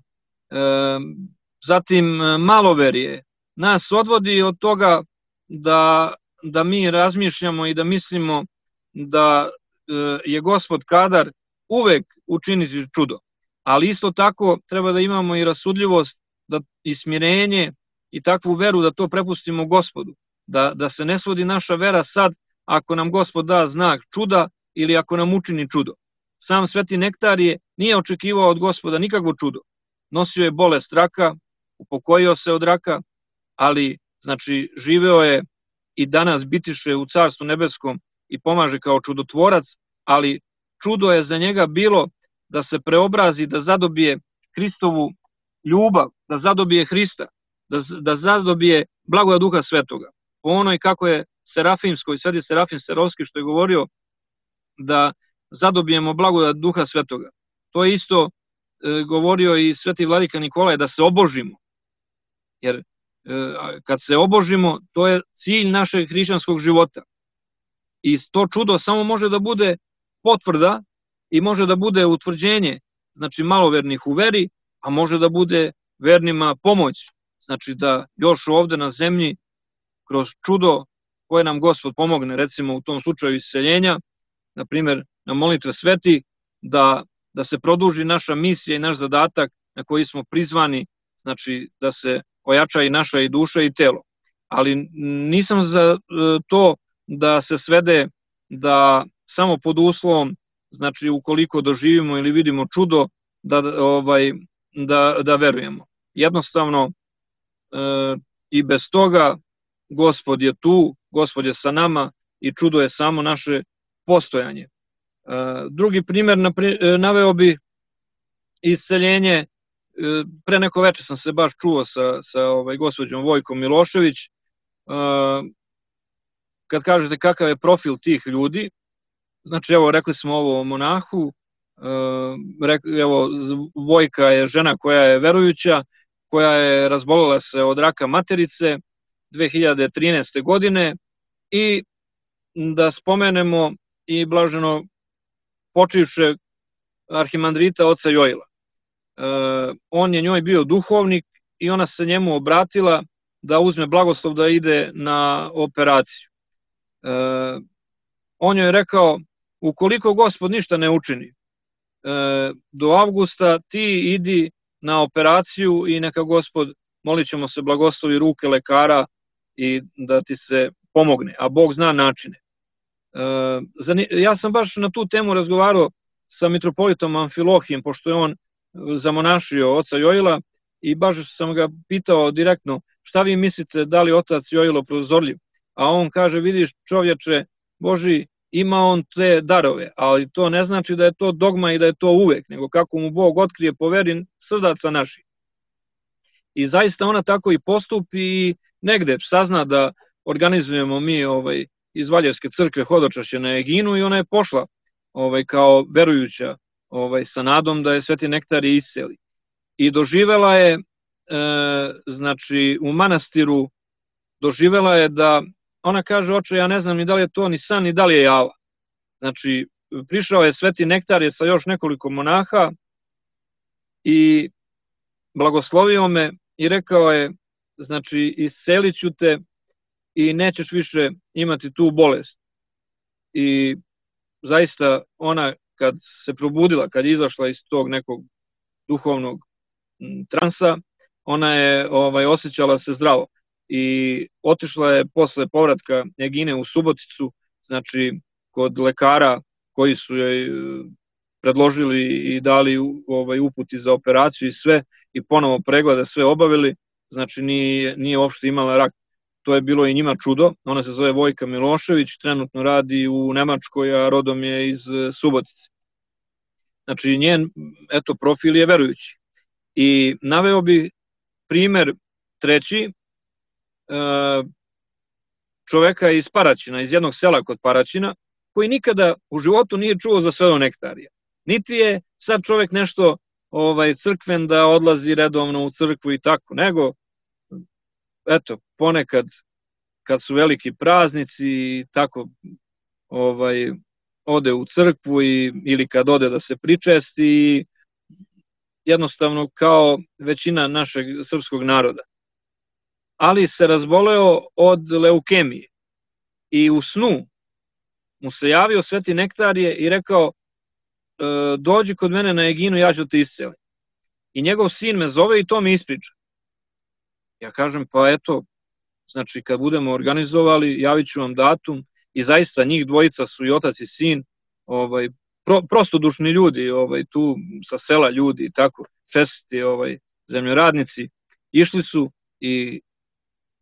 zatim maloverje, nas odvodi od toga da mi razmišljamo i da mislimo da je Gospod kadar uvek učiniti čudo. Ali isto tako treba da imamo i rasudljivost i smirenje i takvu veru da to prepustimo Gospodu. Da se ne svodi naša vera sad ako nam Gospod da znak čuda ili ako nam učini čudo. Sam Sveti nektarije nije očekivao od Gospoda nikakvo čudo. Nosio je bolest raka, upokojio se od raka, ali živeo je i danas bitiše u Carstvu nebeskom i pomaže kao čudotvorac, ali čudo je za njega bilo da se preobrazi, da zadobije Hristovu ljubav, da zadobije Hrista, da zadobije blagodat Duha Svetoga. Po onoj kako je Serafimskoj, sad je Serafim Serovski što je govorio, da zadobijemo blagodat Duha Svetoga. To je isto govorio i Sveti Vladika Nikolaj, da se obožimo. Jer kad se obožimo, to je cilj našeg hrišćanskog života. I to čudo samo može da bude potvrda i može da bude utvrđenje, malovernih u veri, a može da bude vernima pomoć. Znači da još ovde na zemlji, kroz čudo koje nam Gospod pomogne, recimo u tom slučaju isceljenja, na primjer na molitve sveti, da se produži naša misija i naš zadatak na koji smo prizvani, da se ojača i naša i duša i telo. Ali nisam za to da se svede da samo pod uslovom, ukoliko doživimo ili vidimo čudo, da verujemo. Jednostavno, i bez toga Gospod je tu, Gospod je sa nama i čudo je samo naše postojanje. Drugi primer naveo bi isceljenje. Pre neko veče sam se baš čuo sa gospođom Vojkom Milošević. Kad kažete kakav je profil tih ljudi, evo, rekli smo ovo o monahu, evo, Vojka je žena koja je verujuća, koja je razbolela se od raka materice 2013. godine, i da spomenemo i blaženo počivšeg arhimandrita oca Jojila. On je njoj bio duhovnik i ona se njemu obratila da uzme blagoslov da ide na operaciju. on joj je rekao, ukoliko Gospod ništa ne učini, do avgusta ti idi na operaciju i neka Gospod, molit ćemo se, blagoslovi ruke lekara i da ti se pomogne, a Bog zna načine. Ja sam baš na tu temu razgovarao sa mitropolitom Amfilohijem, pošto je on zamonašio oca Joila, i baš sam ga pitao direktno, šta vi mislite, da li otac Joilo prozorljiv? A on kaže, vidiš čovječe Boži, ima on te darove, ali to ne znači da je to dogma i da je to uvek, nego kako mu Bog otkrije po veri srdaca naših. I zaista ona tako i postupi i negde sazna da organizujemo mi iz Valjevske crkve hodočašće na Eginu i ona je pošla kao verujuća sa nadom da je Sveti Nektarije isceli. I doživela je, znači u manastiru, doživela je da, ona kaže, oče, ja ne znam ni da li je to ni san, ni da li je java. Znači, prišao je Sveti Nektarije sa još nekoliko monaha i blagoslovio me i rekao je, znači, iscelit ću te i nećeš više imati tu bolest. I zaista ona kad se probudila, kad je izašla iz tog nekog duhovnog transa, ona je osjećala se zdravo i otišla je posle povratka Egine u Suboticu, znači kod lekara koji su joj predložili i dali uputi za operaciju i sve, i ponovo preglede sve obavili, znači nije uopšte imala rak. To je bilo i njima čudo. Ona se zove Vojka Milošević, trenutno radi u Nemačkoj, a rodom je iz Subotice. Znači njen profil je verujući. I naveo bi primer treći, čoveka iz Paraćina, iz jednog sela kod Paraćina, koji nikada u životu nije čuo za Svetog Nektarija. Niti je sad čovek nešto crkven da odlazi redovno u crkvu i tako, nego ponekad kad su veliki praznici i tako ode u crkvu ili kad ode da se pričesti, jednostavno kao većina našeg srpskog naroda. Ali se razboleo od leukemije i u snu mu se javio Sveti Nektarije i rekao, dođi kod mene na Eginu, ja ću te iscelim. I njegov sin me zove i to mi ispriča. Ja kažem, pa eto, znači kad budemo organizovali, javit ću vam datum, i zaista njih dvojica su i otac i sin, prostodušni ljudi, tu sa sela ljudi i tako, čestiti zemljoradnici, išli su i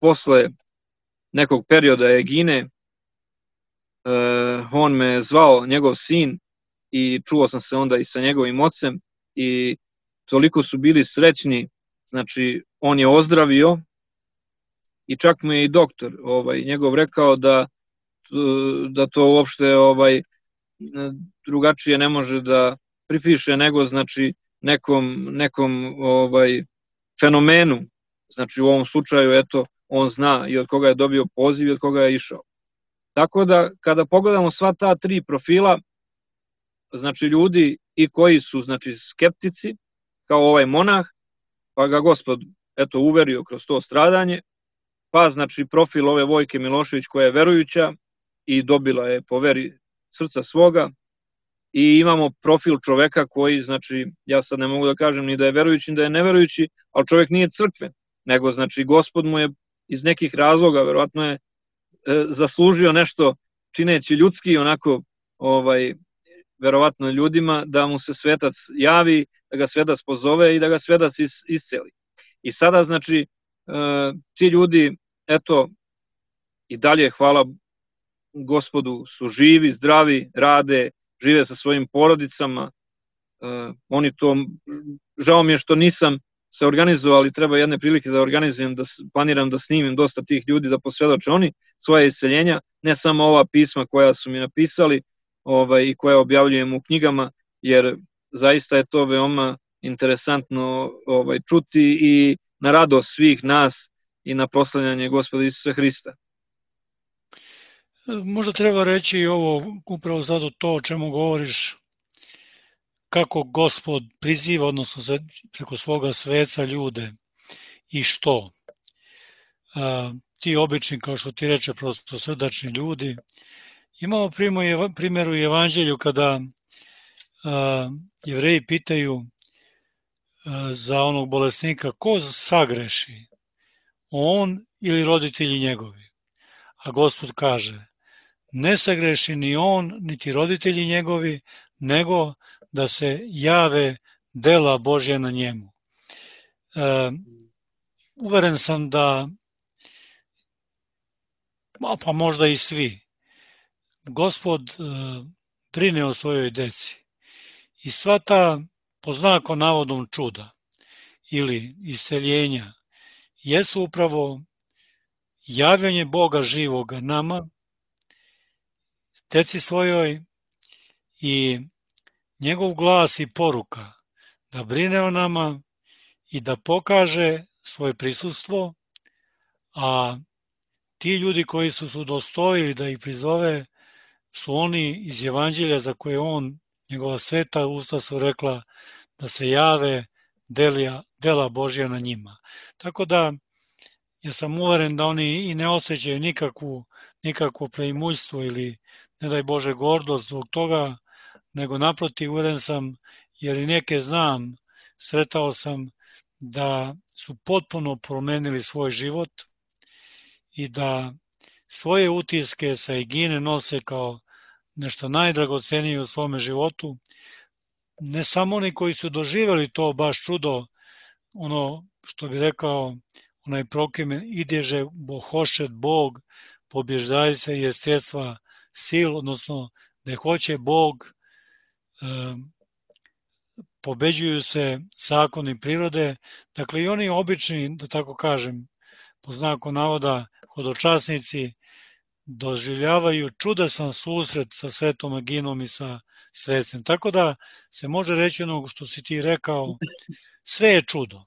posle nekog perioda Egine, on me zvao, njegov sin, i čuo sam se onda i sa njegovim ocem i toliko su bili srećni, znači on je ozdravio i čak mu je i doktor njegov rekao da to uopšte drugačije ne može da pripiše nego znači nekom fenomenu, znači u ovom slučaju eto on zna i od koga je dobio poziv i od koga je išao. Tako da kada pogledamo sva ta tri profila, znači ljudi i koji su znači skeptici, kao ovaj monah, pa ga Gospod eto uverio kroz to stradanje, pa znači profil ove Vojke Milošević koja je verujuća i dobila je po veri srca svoga, i imamo profil čoveka koji, znači, ja sad ne mogu da kažem ni da je verujući ni da je neverujući, ali čovek nije crkven, nego znači Gospod mu je iz nekih razloga, verovatno je zaslužio nešto čineći ljudski, onako verovatno ljudima, da mu se svetac javi, da ga svetac pozove i da ga svetac isceli. I sada, znači, ti ljudi, eto, i dalje, hvala Gospodu, su živi, zdravi, rade, žive sa svojim porodicama. Oni to, žao mi je što nisam se organizovao, ali treba jedne prilike da organizujem, da planiram da snimim dosta tih ljudi, da posvedoče oni svoje isceljenja, ne samo ova pisma koja su mi napisali i koja objavljujem u knjigama, jer zaista je to veoma interesantno čuti i na radost svih nas i na proslavljanje Gospoda Isusa Hrista.
Možda treba reći i ovo, upravo zato to o čemu govoriš, kako Gospod priziva, odnosno preko svoga sveca ljude i što. Ti obični, kao što ti reče, prostosrdačni ljudi, Imamo primjer u Evanđelju kada Jevreji pitaju za onog bolesnika ko sagreši, on ili roditelji njegovi. A Gospod kaže, ne sagreši ni on, niti roditelji njegovi, nego da se jave dela Božja na njemu. Uveren sam da, pa možda i svi, Gospod brine o svojoj deci. I sva ta, po znaku navodom čuda ili isceljenja, jesu upravo javljanje Boga živoga nama, deci svojoj, i njegov glas i poruka da brine o nama i da pokaže svoje prisustvo, a ti ljudi koji su se udostojili da ih prizove su oni iz Evanđelja za koje on, njegova sveta usta su rekla da se jave dela Božja na njima. Tako da ja sam uveren da oni i ne osjećaju nikakvo preimuljstvo ili ne daj Bože gordost zbog toga, nego naprotiv uveren sam, jer i neke znam, sretao sam da su potpuno promenili svoj život i da svoje utiske sa Egine nose kao nešto najdragocenije u svome životu. Ne samo oni koji su doživjeli to baš čudo, ono što bi rekao onaj prokime, idježe bohošet Bog, pobježdaj se jeststva sil, odnosno da hoće Bog, pobeđuju se zakoni prirode. Dakle, i oni obični, da tako kažem, po znaku navoda, hodočasnici, doživljavaju čudesan susret sa svetom Aginom i sa svetcem. Tako da se može reći ono što si ti rekao, sve je čudo.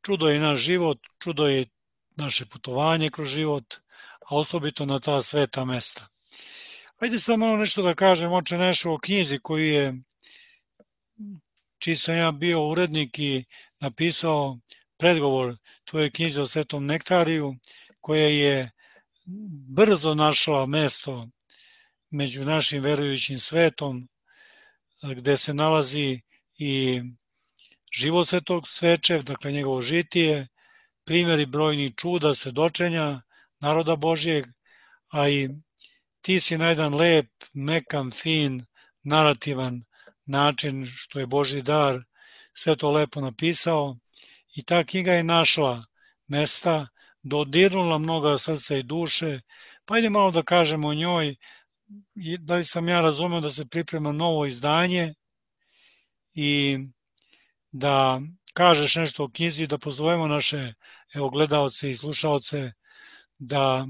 Čudo je naš život, čudo je naše putovanje kroz život, a osobito na ta sveta mesta. Ajde sad malo nešto da kažem, oče nešto o knjizi čiji sam ja bio urednik i napisao predgovor tvoje knjize o Svetom Nektariju, koja je brzo našla mesto među našim verujućim svetom, gde se nalazi i život Svetog Sveče, dakle njegovo žitije, primjeri brojnih čuda, svedočenja naroda Božjeg, a i ti si na jedan lep, mekan, fin, narativan način, što je Božji dar, sve to lepo napisao i ta knjiga je našla mesta, dodirnula mnoga srca i duše. Pa ajde malo da kažemo o njoj, da li sam ja razumeo da se priprema novo izdanje i da kažeš nešto o knjizi, da pozovemo naše gledaoce i slušaoce da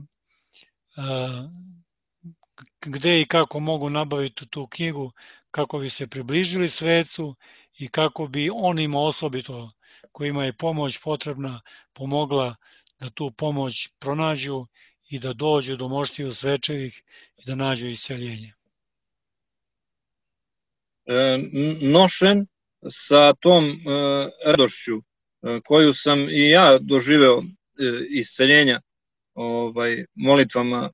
gde i kako mogu nabaviti tu knjigu, kako bi se približili svecu i kako bi onima osobito kojima je pomoć potrebna pomogla da tu pomoć pronađu i da dođu do moštiju svečevih i da nađu isceljenje.
Nošen sa tom radošću koju sam i ja doživeo isceljenja molitvama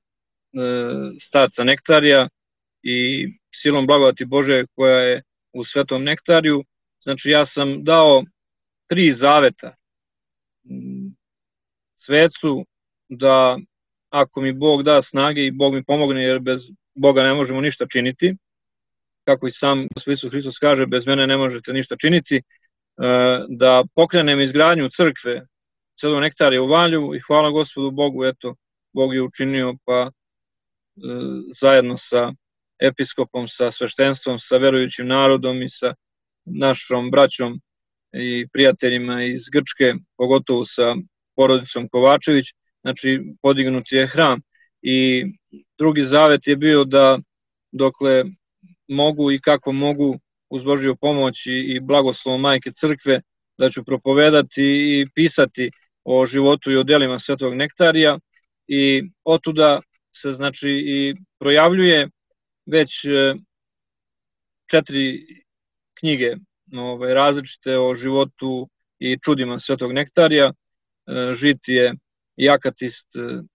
starca Nektarija i silom blagodati Bože koja je u Svetom Nektariju. Znači ja sam dao 3 zaveta svecu da ako mi Bog da snage i Bog mi pomogne, jer bez Boga ne možemo ništa činiti, kako i sam Gospod Isus Hristos kaže, bez mene ne možete ništa činiti, da pokrenem izgradnju crkve Svetog Nektarija u Valju i hvala Gospodu Bogu, eto, Bog je učinio, pa zajedno sa episkopom, sa sveštenstvom, sa verujućim narodom i sa našom braćom i prijateljima iz Grčke, pogotovo sa porodicom Kovačević, znači podignut je hram. I drugi zavet je bio da dokle mogu i kako mogu uz Božju pomoć i blagoslovom Majke Crkve, da ću propovedati i pisati o životu i o delima Svetog Nektarija i otuda se znači i projavljuje već 4 knjige različite o životu i čudima Svetog Nektarija, žitije i akatist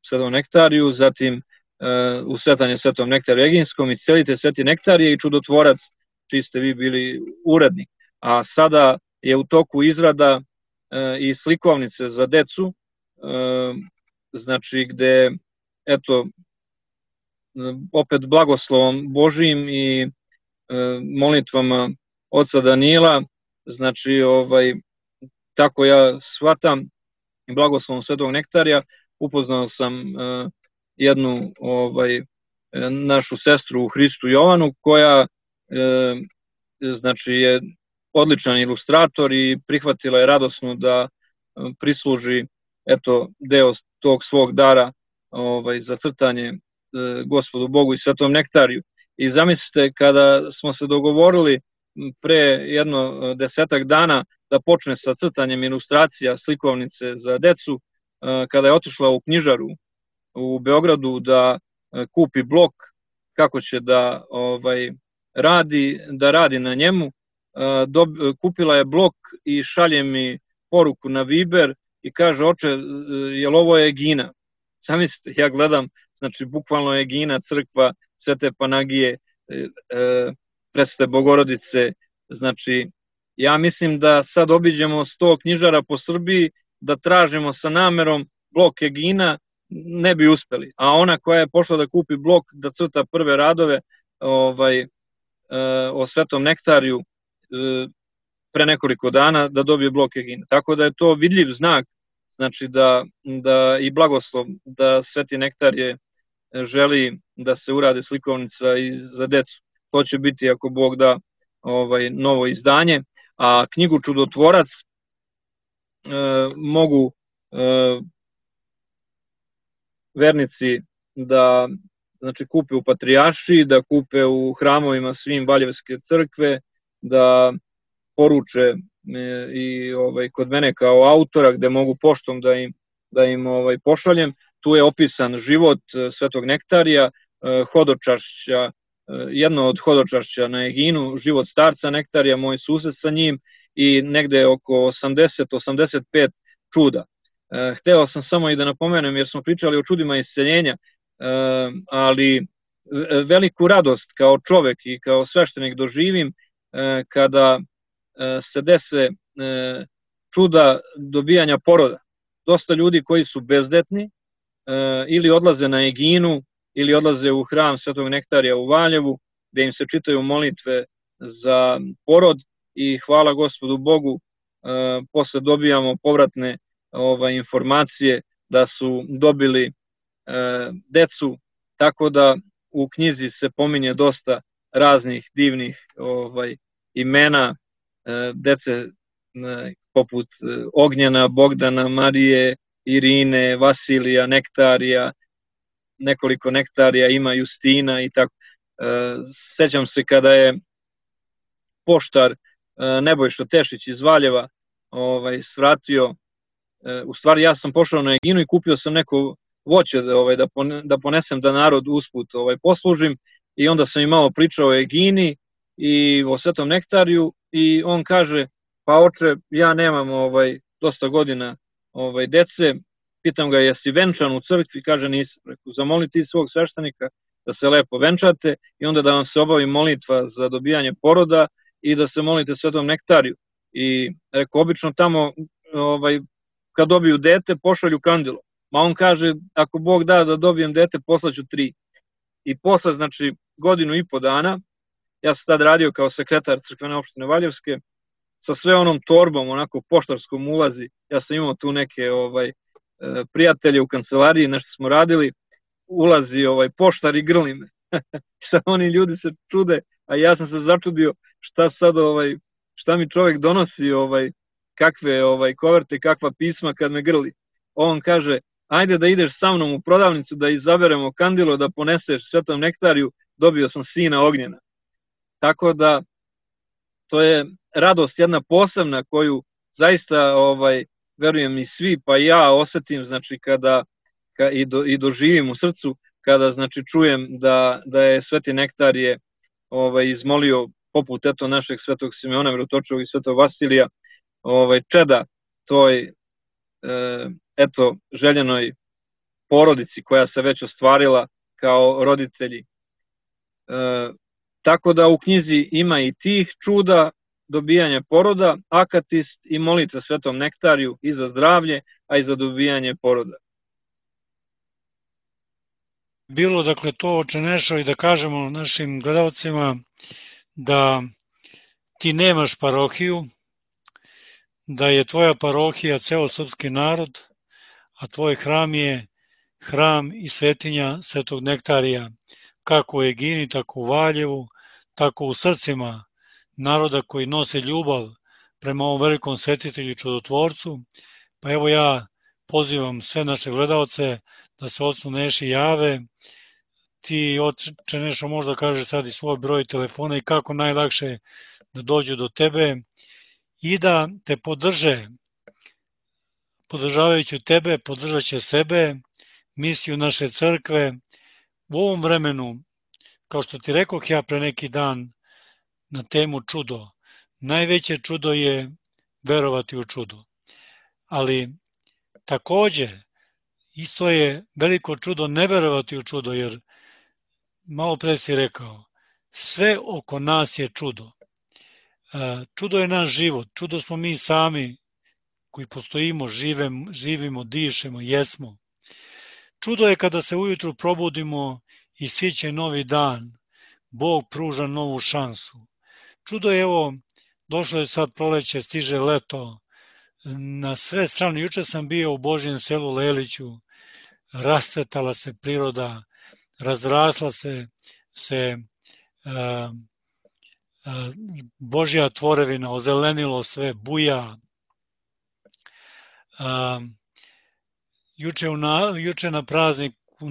Svetom Nektariju, zatim u svetanje Svetom nektariju eginskom, iscelitelj Sveti nektarije i čudotvorac, čiji ste vi bili urednik. A sada je u toku izrada i slikovnice za decu, znači gde, eto, opet blagoslovom Božijim i molitvama oca Danila, znači tako ja shvatam, blagoslovom Svetog nektarija, upoznao sam jednu našu sestru u Hristu Jovanu, koja znači je odličan ilustrator i prihvatila je radosno da prisluži eto deo tog svog dara za crtanje Gospodu Bogu i Svetom nektariju. I zamislite, kada smo se dogovorili pre jedno 10 dana da počne sa crtanjem ilustracija slikovnice za decu, kada je otišla u knjižaru u Beogradu da kupi blok kako će da radi na njemu, kupila je blok i šalje mi poruku na Viber i kaže: oče, jel ovo je Egina? Zamislite, ja gledam, znači bukvalno je Egina, crkva Svete Panagije, Presvete Bogorodice. Znači, ja mislim da sad obiđemo 100 knjižara po Srbiji, da tražimo sa namerom blok Egina, ne bi uspeli. A ona koja je pošla da kupi blok, da crta prve radove o Svetom nektariju pre nekoliko dana, da dobije blok Egina. Tako da je to vidljiv znak, znači da i blagoslov da Sveti nektarije želi da se urade slikovnica i za decu. To će biti, ako Bog da, novo izdanje. A knjigu Čudotvorac mogu vernici da kupe u Patrijaršiji, da kupe u hramovima svim Valjevske crkve, da poruče i kod mene kao autora, gde mogu poštom da im pošaljem. Tu je opisan život Svetog nektarija, hodočašća, jedno od hodočašća na Eginu, život starca nektarija, moj sused sa njim i negde oko 80-85 čuda. Hteo sam samo i da napomenem, jer smo pričali o čudima isceljenja, ali veliku radost kao čovek i kao sveštenik doživim kada se dese čuda dobijanja poroda. Dosta ljudi koji su bezdetni ili odlaze na Eginu ili odlaze u hram Svetog nektarija u Valjevu, gde im se čitaju molitve za porod i hvala Gospodu Bogu, posle dobijamo povratne informacije da su dobili decu, tako da u knjizi se pominje dosta raznih divnih imena dece poput Ognjena, Bogdana, Marije, Irine, Vasilija, Nektarija, nekoliko Nektarija ima, Justina i tako. Sećam se kada je poštar Nebojša Tešić iz Valjeva svratio, u stvari ja sam pošao na Eginu i kupio sam neko voće da ponesem da narod usput poslužim, i onda sam im malo pričao o Egini i o Svetom nektariju i on kaže: pa oče, ja nemam dosta godina dece. Pitam ga: jesi venčan u crkvi? Kaže: nisam. Reku: zamoli ti svog sveštenika da se lepo venčate i onda da vam se obavi molitva za dobijanje poroda i da se molite Svetom nektariju. I reku: obično tamo kad dobiju dete pošalju kandilo. Ma on kaže: ako Bog da dobijem dete, poslaću 3. I posle, znači, 1,5 godina, ja sam tad radio kao sekretar crkvene opštine Valjevske, sa sve onom torbom, onako poštarskom ulazi, ja sam imao tu neke prijatelje u kancelariji, nešto smo radili, ulazi poštar i grli me. Sad oni ljudi se čude, a ja sam se začudio šta sad, šta mi čovek donosi, kakve koverte, kakva pisma kad me grli. On kaže: ajde da ideš sa mnom u prodavnicu da izaberemo kandilo da poneseš Svetom nektariju, dobio sam sina Ognjena. Tako da to je radost jedna posebna koju zaista verujem i svi, pa i ja osetim, znači kada i doživim u srcu, kada znači čujem da je Sveti nektarije izmolio, poput eto našeg Svetog Simeona Mirotočivog i Svetog Vasilija, čeda toj eto željenoj porodici koja se već ostvarila kao roditelji. Tako da u knjizi ima i tih čuda, dobijanje poroda, akatist i molitva Svetom Nektariju i za zdravlje, a i za dobijanje poroda.
Bilo, dakle, to Oče Nešo i da kažemo našim gledalcima da ti nemaš parohiju, da je tvoja parohija ceo srpski narod, a tvoj hram je hram i svetinja Svetog Nektarija, kako u Egini, tako u Valjevu, tako u srcima naroda koji nose ljubav prema ovom velikom svetitelju i čudotvorcu. Pa evo ja pozivam sve naše gledalce da se Ocu Neši jave. Ti, Oče Nešo, možda kažeš sad i svoj broj telefona i kako najlakše da dođu do tebe i da te podrže. Podržavajući tebe, podržat će sebe, misiju naše crkve. U ovom vremenu, kao što ti rekoh ja pre neki dan na temu čudo, najveće čudo je verovati u čudo. Ali takođe, isto je veliko čudo ne verovati u čudo, jer malo pre si rekao, sve oko nas je čudo. Čudo je naš život, čudo smo mi sami koji postojimo, živimo, dišemo, jesmo. Čudo je kada se ujutru probudimo i siće novi dan, Bog pruža novu šansu. Čudo je, evo, došlo je sad proleće, stiže leto, na sve strane. Juče sam bio u Božjem selu Leliću, rascvetala se priroda, razrasla se Božja tvorevina, ozelenilo sve, buja. Juče na praznik u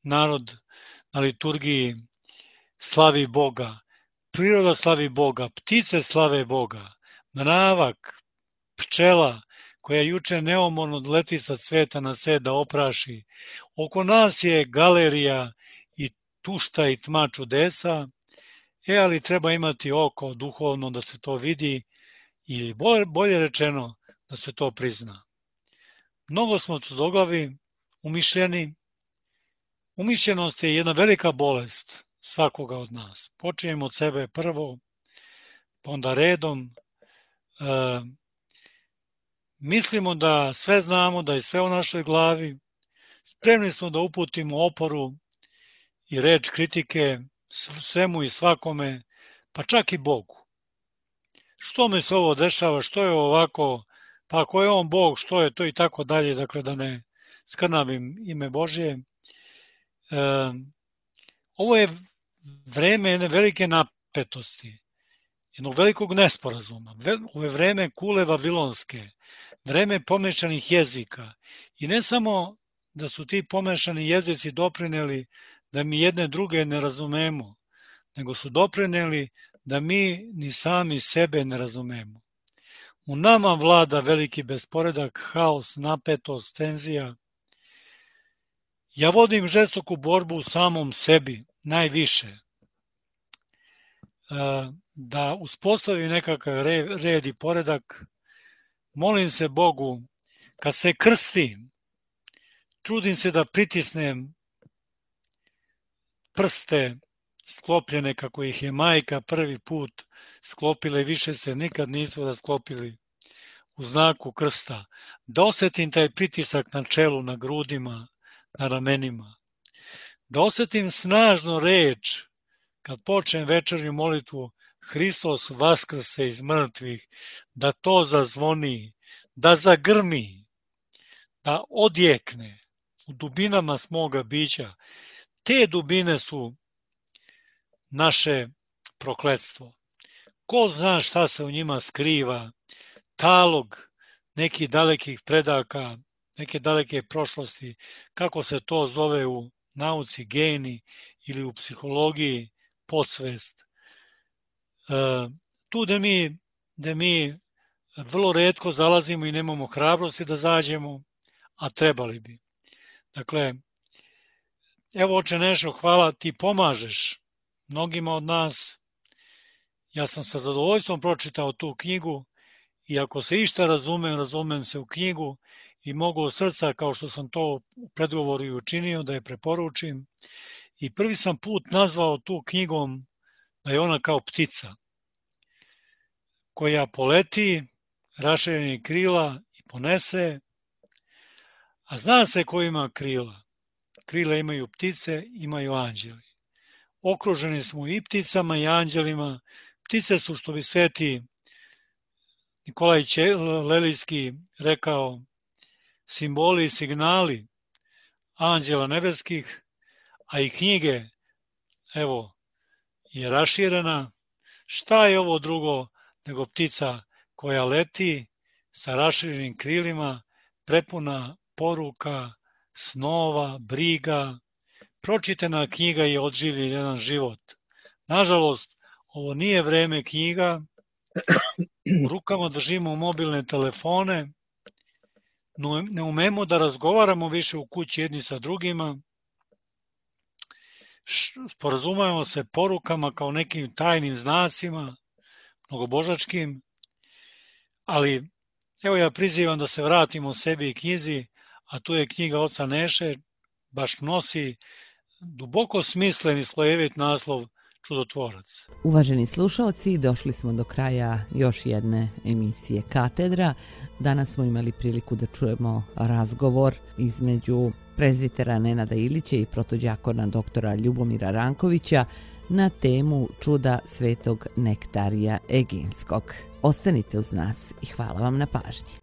narod na liturgiji slavi Boga, priroda slavi Boga, ptice slave Boga, mravak, pčela koja juče neumorno leti sa cveta na svet da opraši. Oko nas je galerija i tušta i tma čudesa, ali treba imati oko duhovno da se to vidi ili bolje rečeno da se to prizna. Mnogo smo tvrdoglavi, umišljeni. Umišljenost je jedna velika bolest svakoga od nas. Počinjemo od sebe prvo, pa onda redom. Mislimo da sve znamo, da je sve u našoj glavi. Spremni smo da uputimo oporu i reč kritike svemu i svakome, pa čak i Bogu. Što mi se ovo dešava, što je ovako, pa ako je on Bog, što je to i tako dalje, dakle da ne skrnavim ime Božje. Ovo je vreme jedne velike napetosti, jednog velikog nesporazuma. Ovo je vreme kule vavilonske, vreme pomešanih jezika. I ne samo da su ti pomešani jezici doprineli da mi jedne druge ne razumemo, nego su doprineli da mi ni sami sebe ne razumemo. U nama vlada veliki besporedak, haos, napetost, tenzija. Ja vodim žestoku borbu u samom sebi, najviše, da uspostavim nekakav red i poredak. Molim se Bogu, kad se krstim, trudim se da pritisnem prste sklopljene kako ih je majka prvi put sklopile, više se nikad nisu rasklopili u znaku krsta. Da osetim taj pritisak na čelu, na grudima, na ramenima. Da osetim snažno reč kad počnem večernju molitvu Hristos vaskrse iz mrtvih, da to zazvoni, da zagrmi, da odjekne u dubinama smoga bića. Te dubine su naše prokletstvo. Ko zna šta se u njima skriva, talog nekih dalekih predaka, neke daleke prošlosti, kako se to zove u nauci geni ili u psihologiji podsvest. Tu da mi vrlo retko zalazimo i nemamo hrabrosti da zađemo, a trebali bi. Dakle, evo Oče Nešo, hvala, ti pomažeš mnogima od nas. Ja sam sa zadovoljstvom pročitao tu knjigu i ako se išta razumem se u knjigu i mogu od srca, kao što sam to u predgovoru i učinio, da je preporučim. i prvi sam put nazvao tu knjigom da je ona kao ptica koja poleti raširenih krila i ponese, a zna se ko ima krila. Krila imaju ptice, imaju anđeli. Okruženi smo i pticama i anđelima. Ptice su, što bi sveti Nikolaj Lelijski rekao, simboli i signali anđela nebeskih, a i knjige, evo, je raširena. Šta je ovo drugo nego ptica koja leti sa raširenim krilima, prepuna poruka, snova, briga. Pročitana knjiga je odživi jedan život. Nažalost, ovo nije vreme knjiga, u rukama držimo mobilne telefone, ne umemo da razgovaramo više u kući jedni sa drugima, sporazumemo se porukama kao nekim tajnim znacima, mnogobožačkim, ali evo ja prizivam da se vratimo sebi i knjizi, a tu je knjiga oca Neše, baš nosi duboko smislen i slojevit naslov Čudotvorac.
Uvaženi slušalci, došli smo do kraja još jedne emisije Katedra. Danas smo imali priliku da čujemo razgovor između prezbitera Nenada Ilića i protođakona doktora Ljubomira Rankovića na temu čuda svetog Nektarija Eginskog. Ostanite uz nas i hvala vam na pažnji.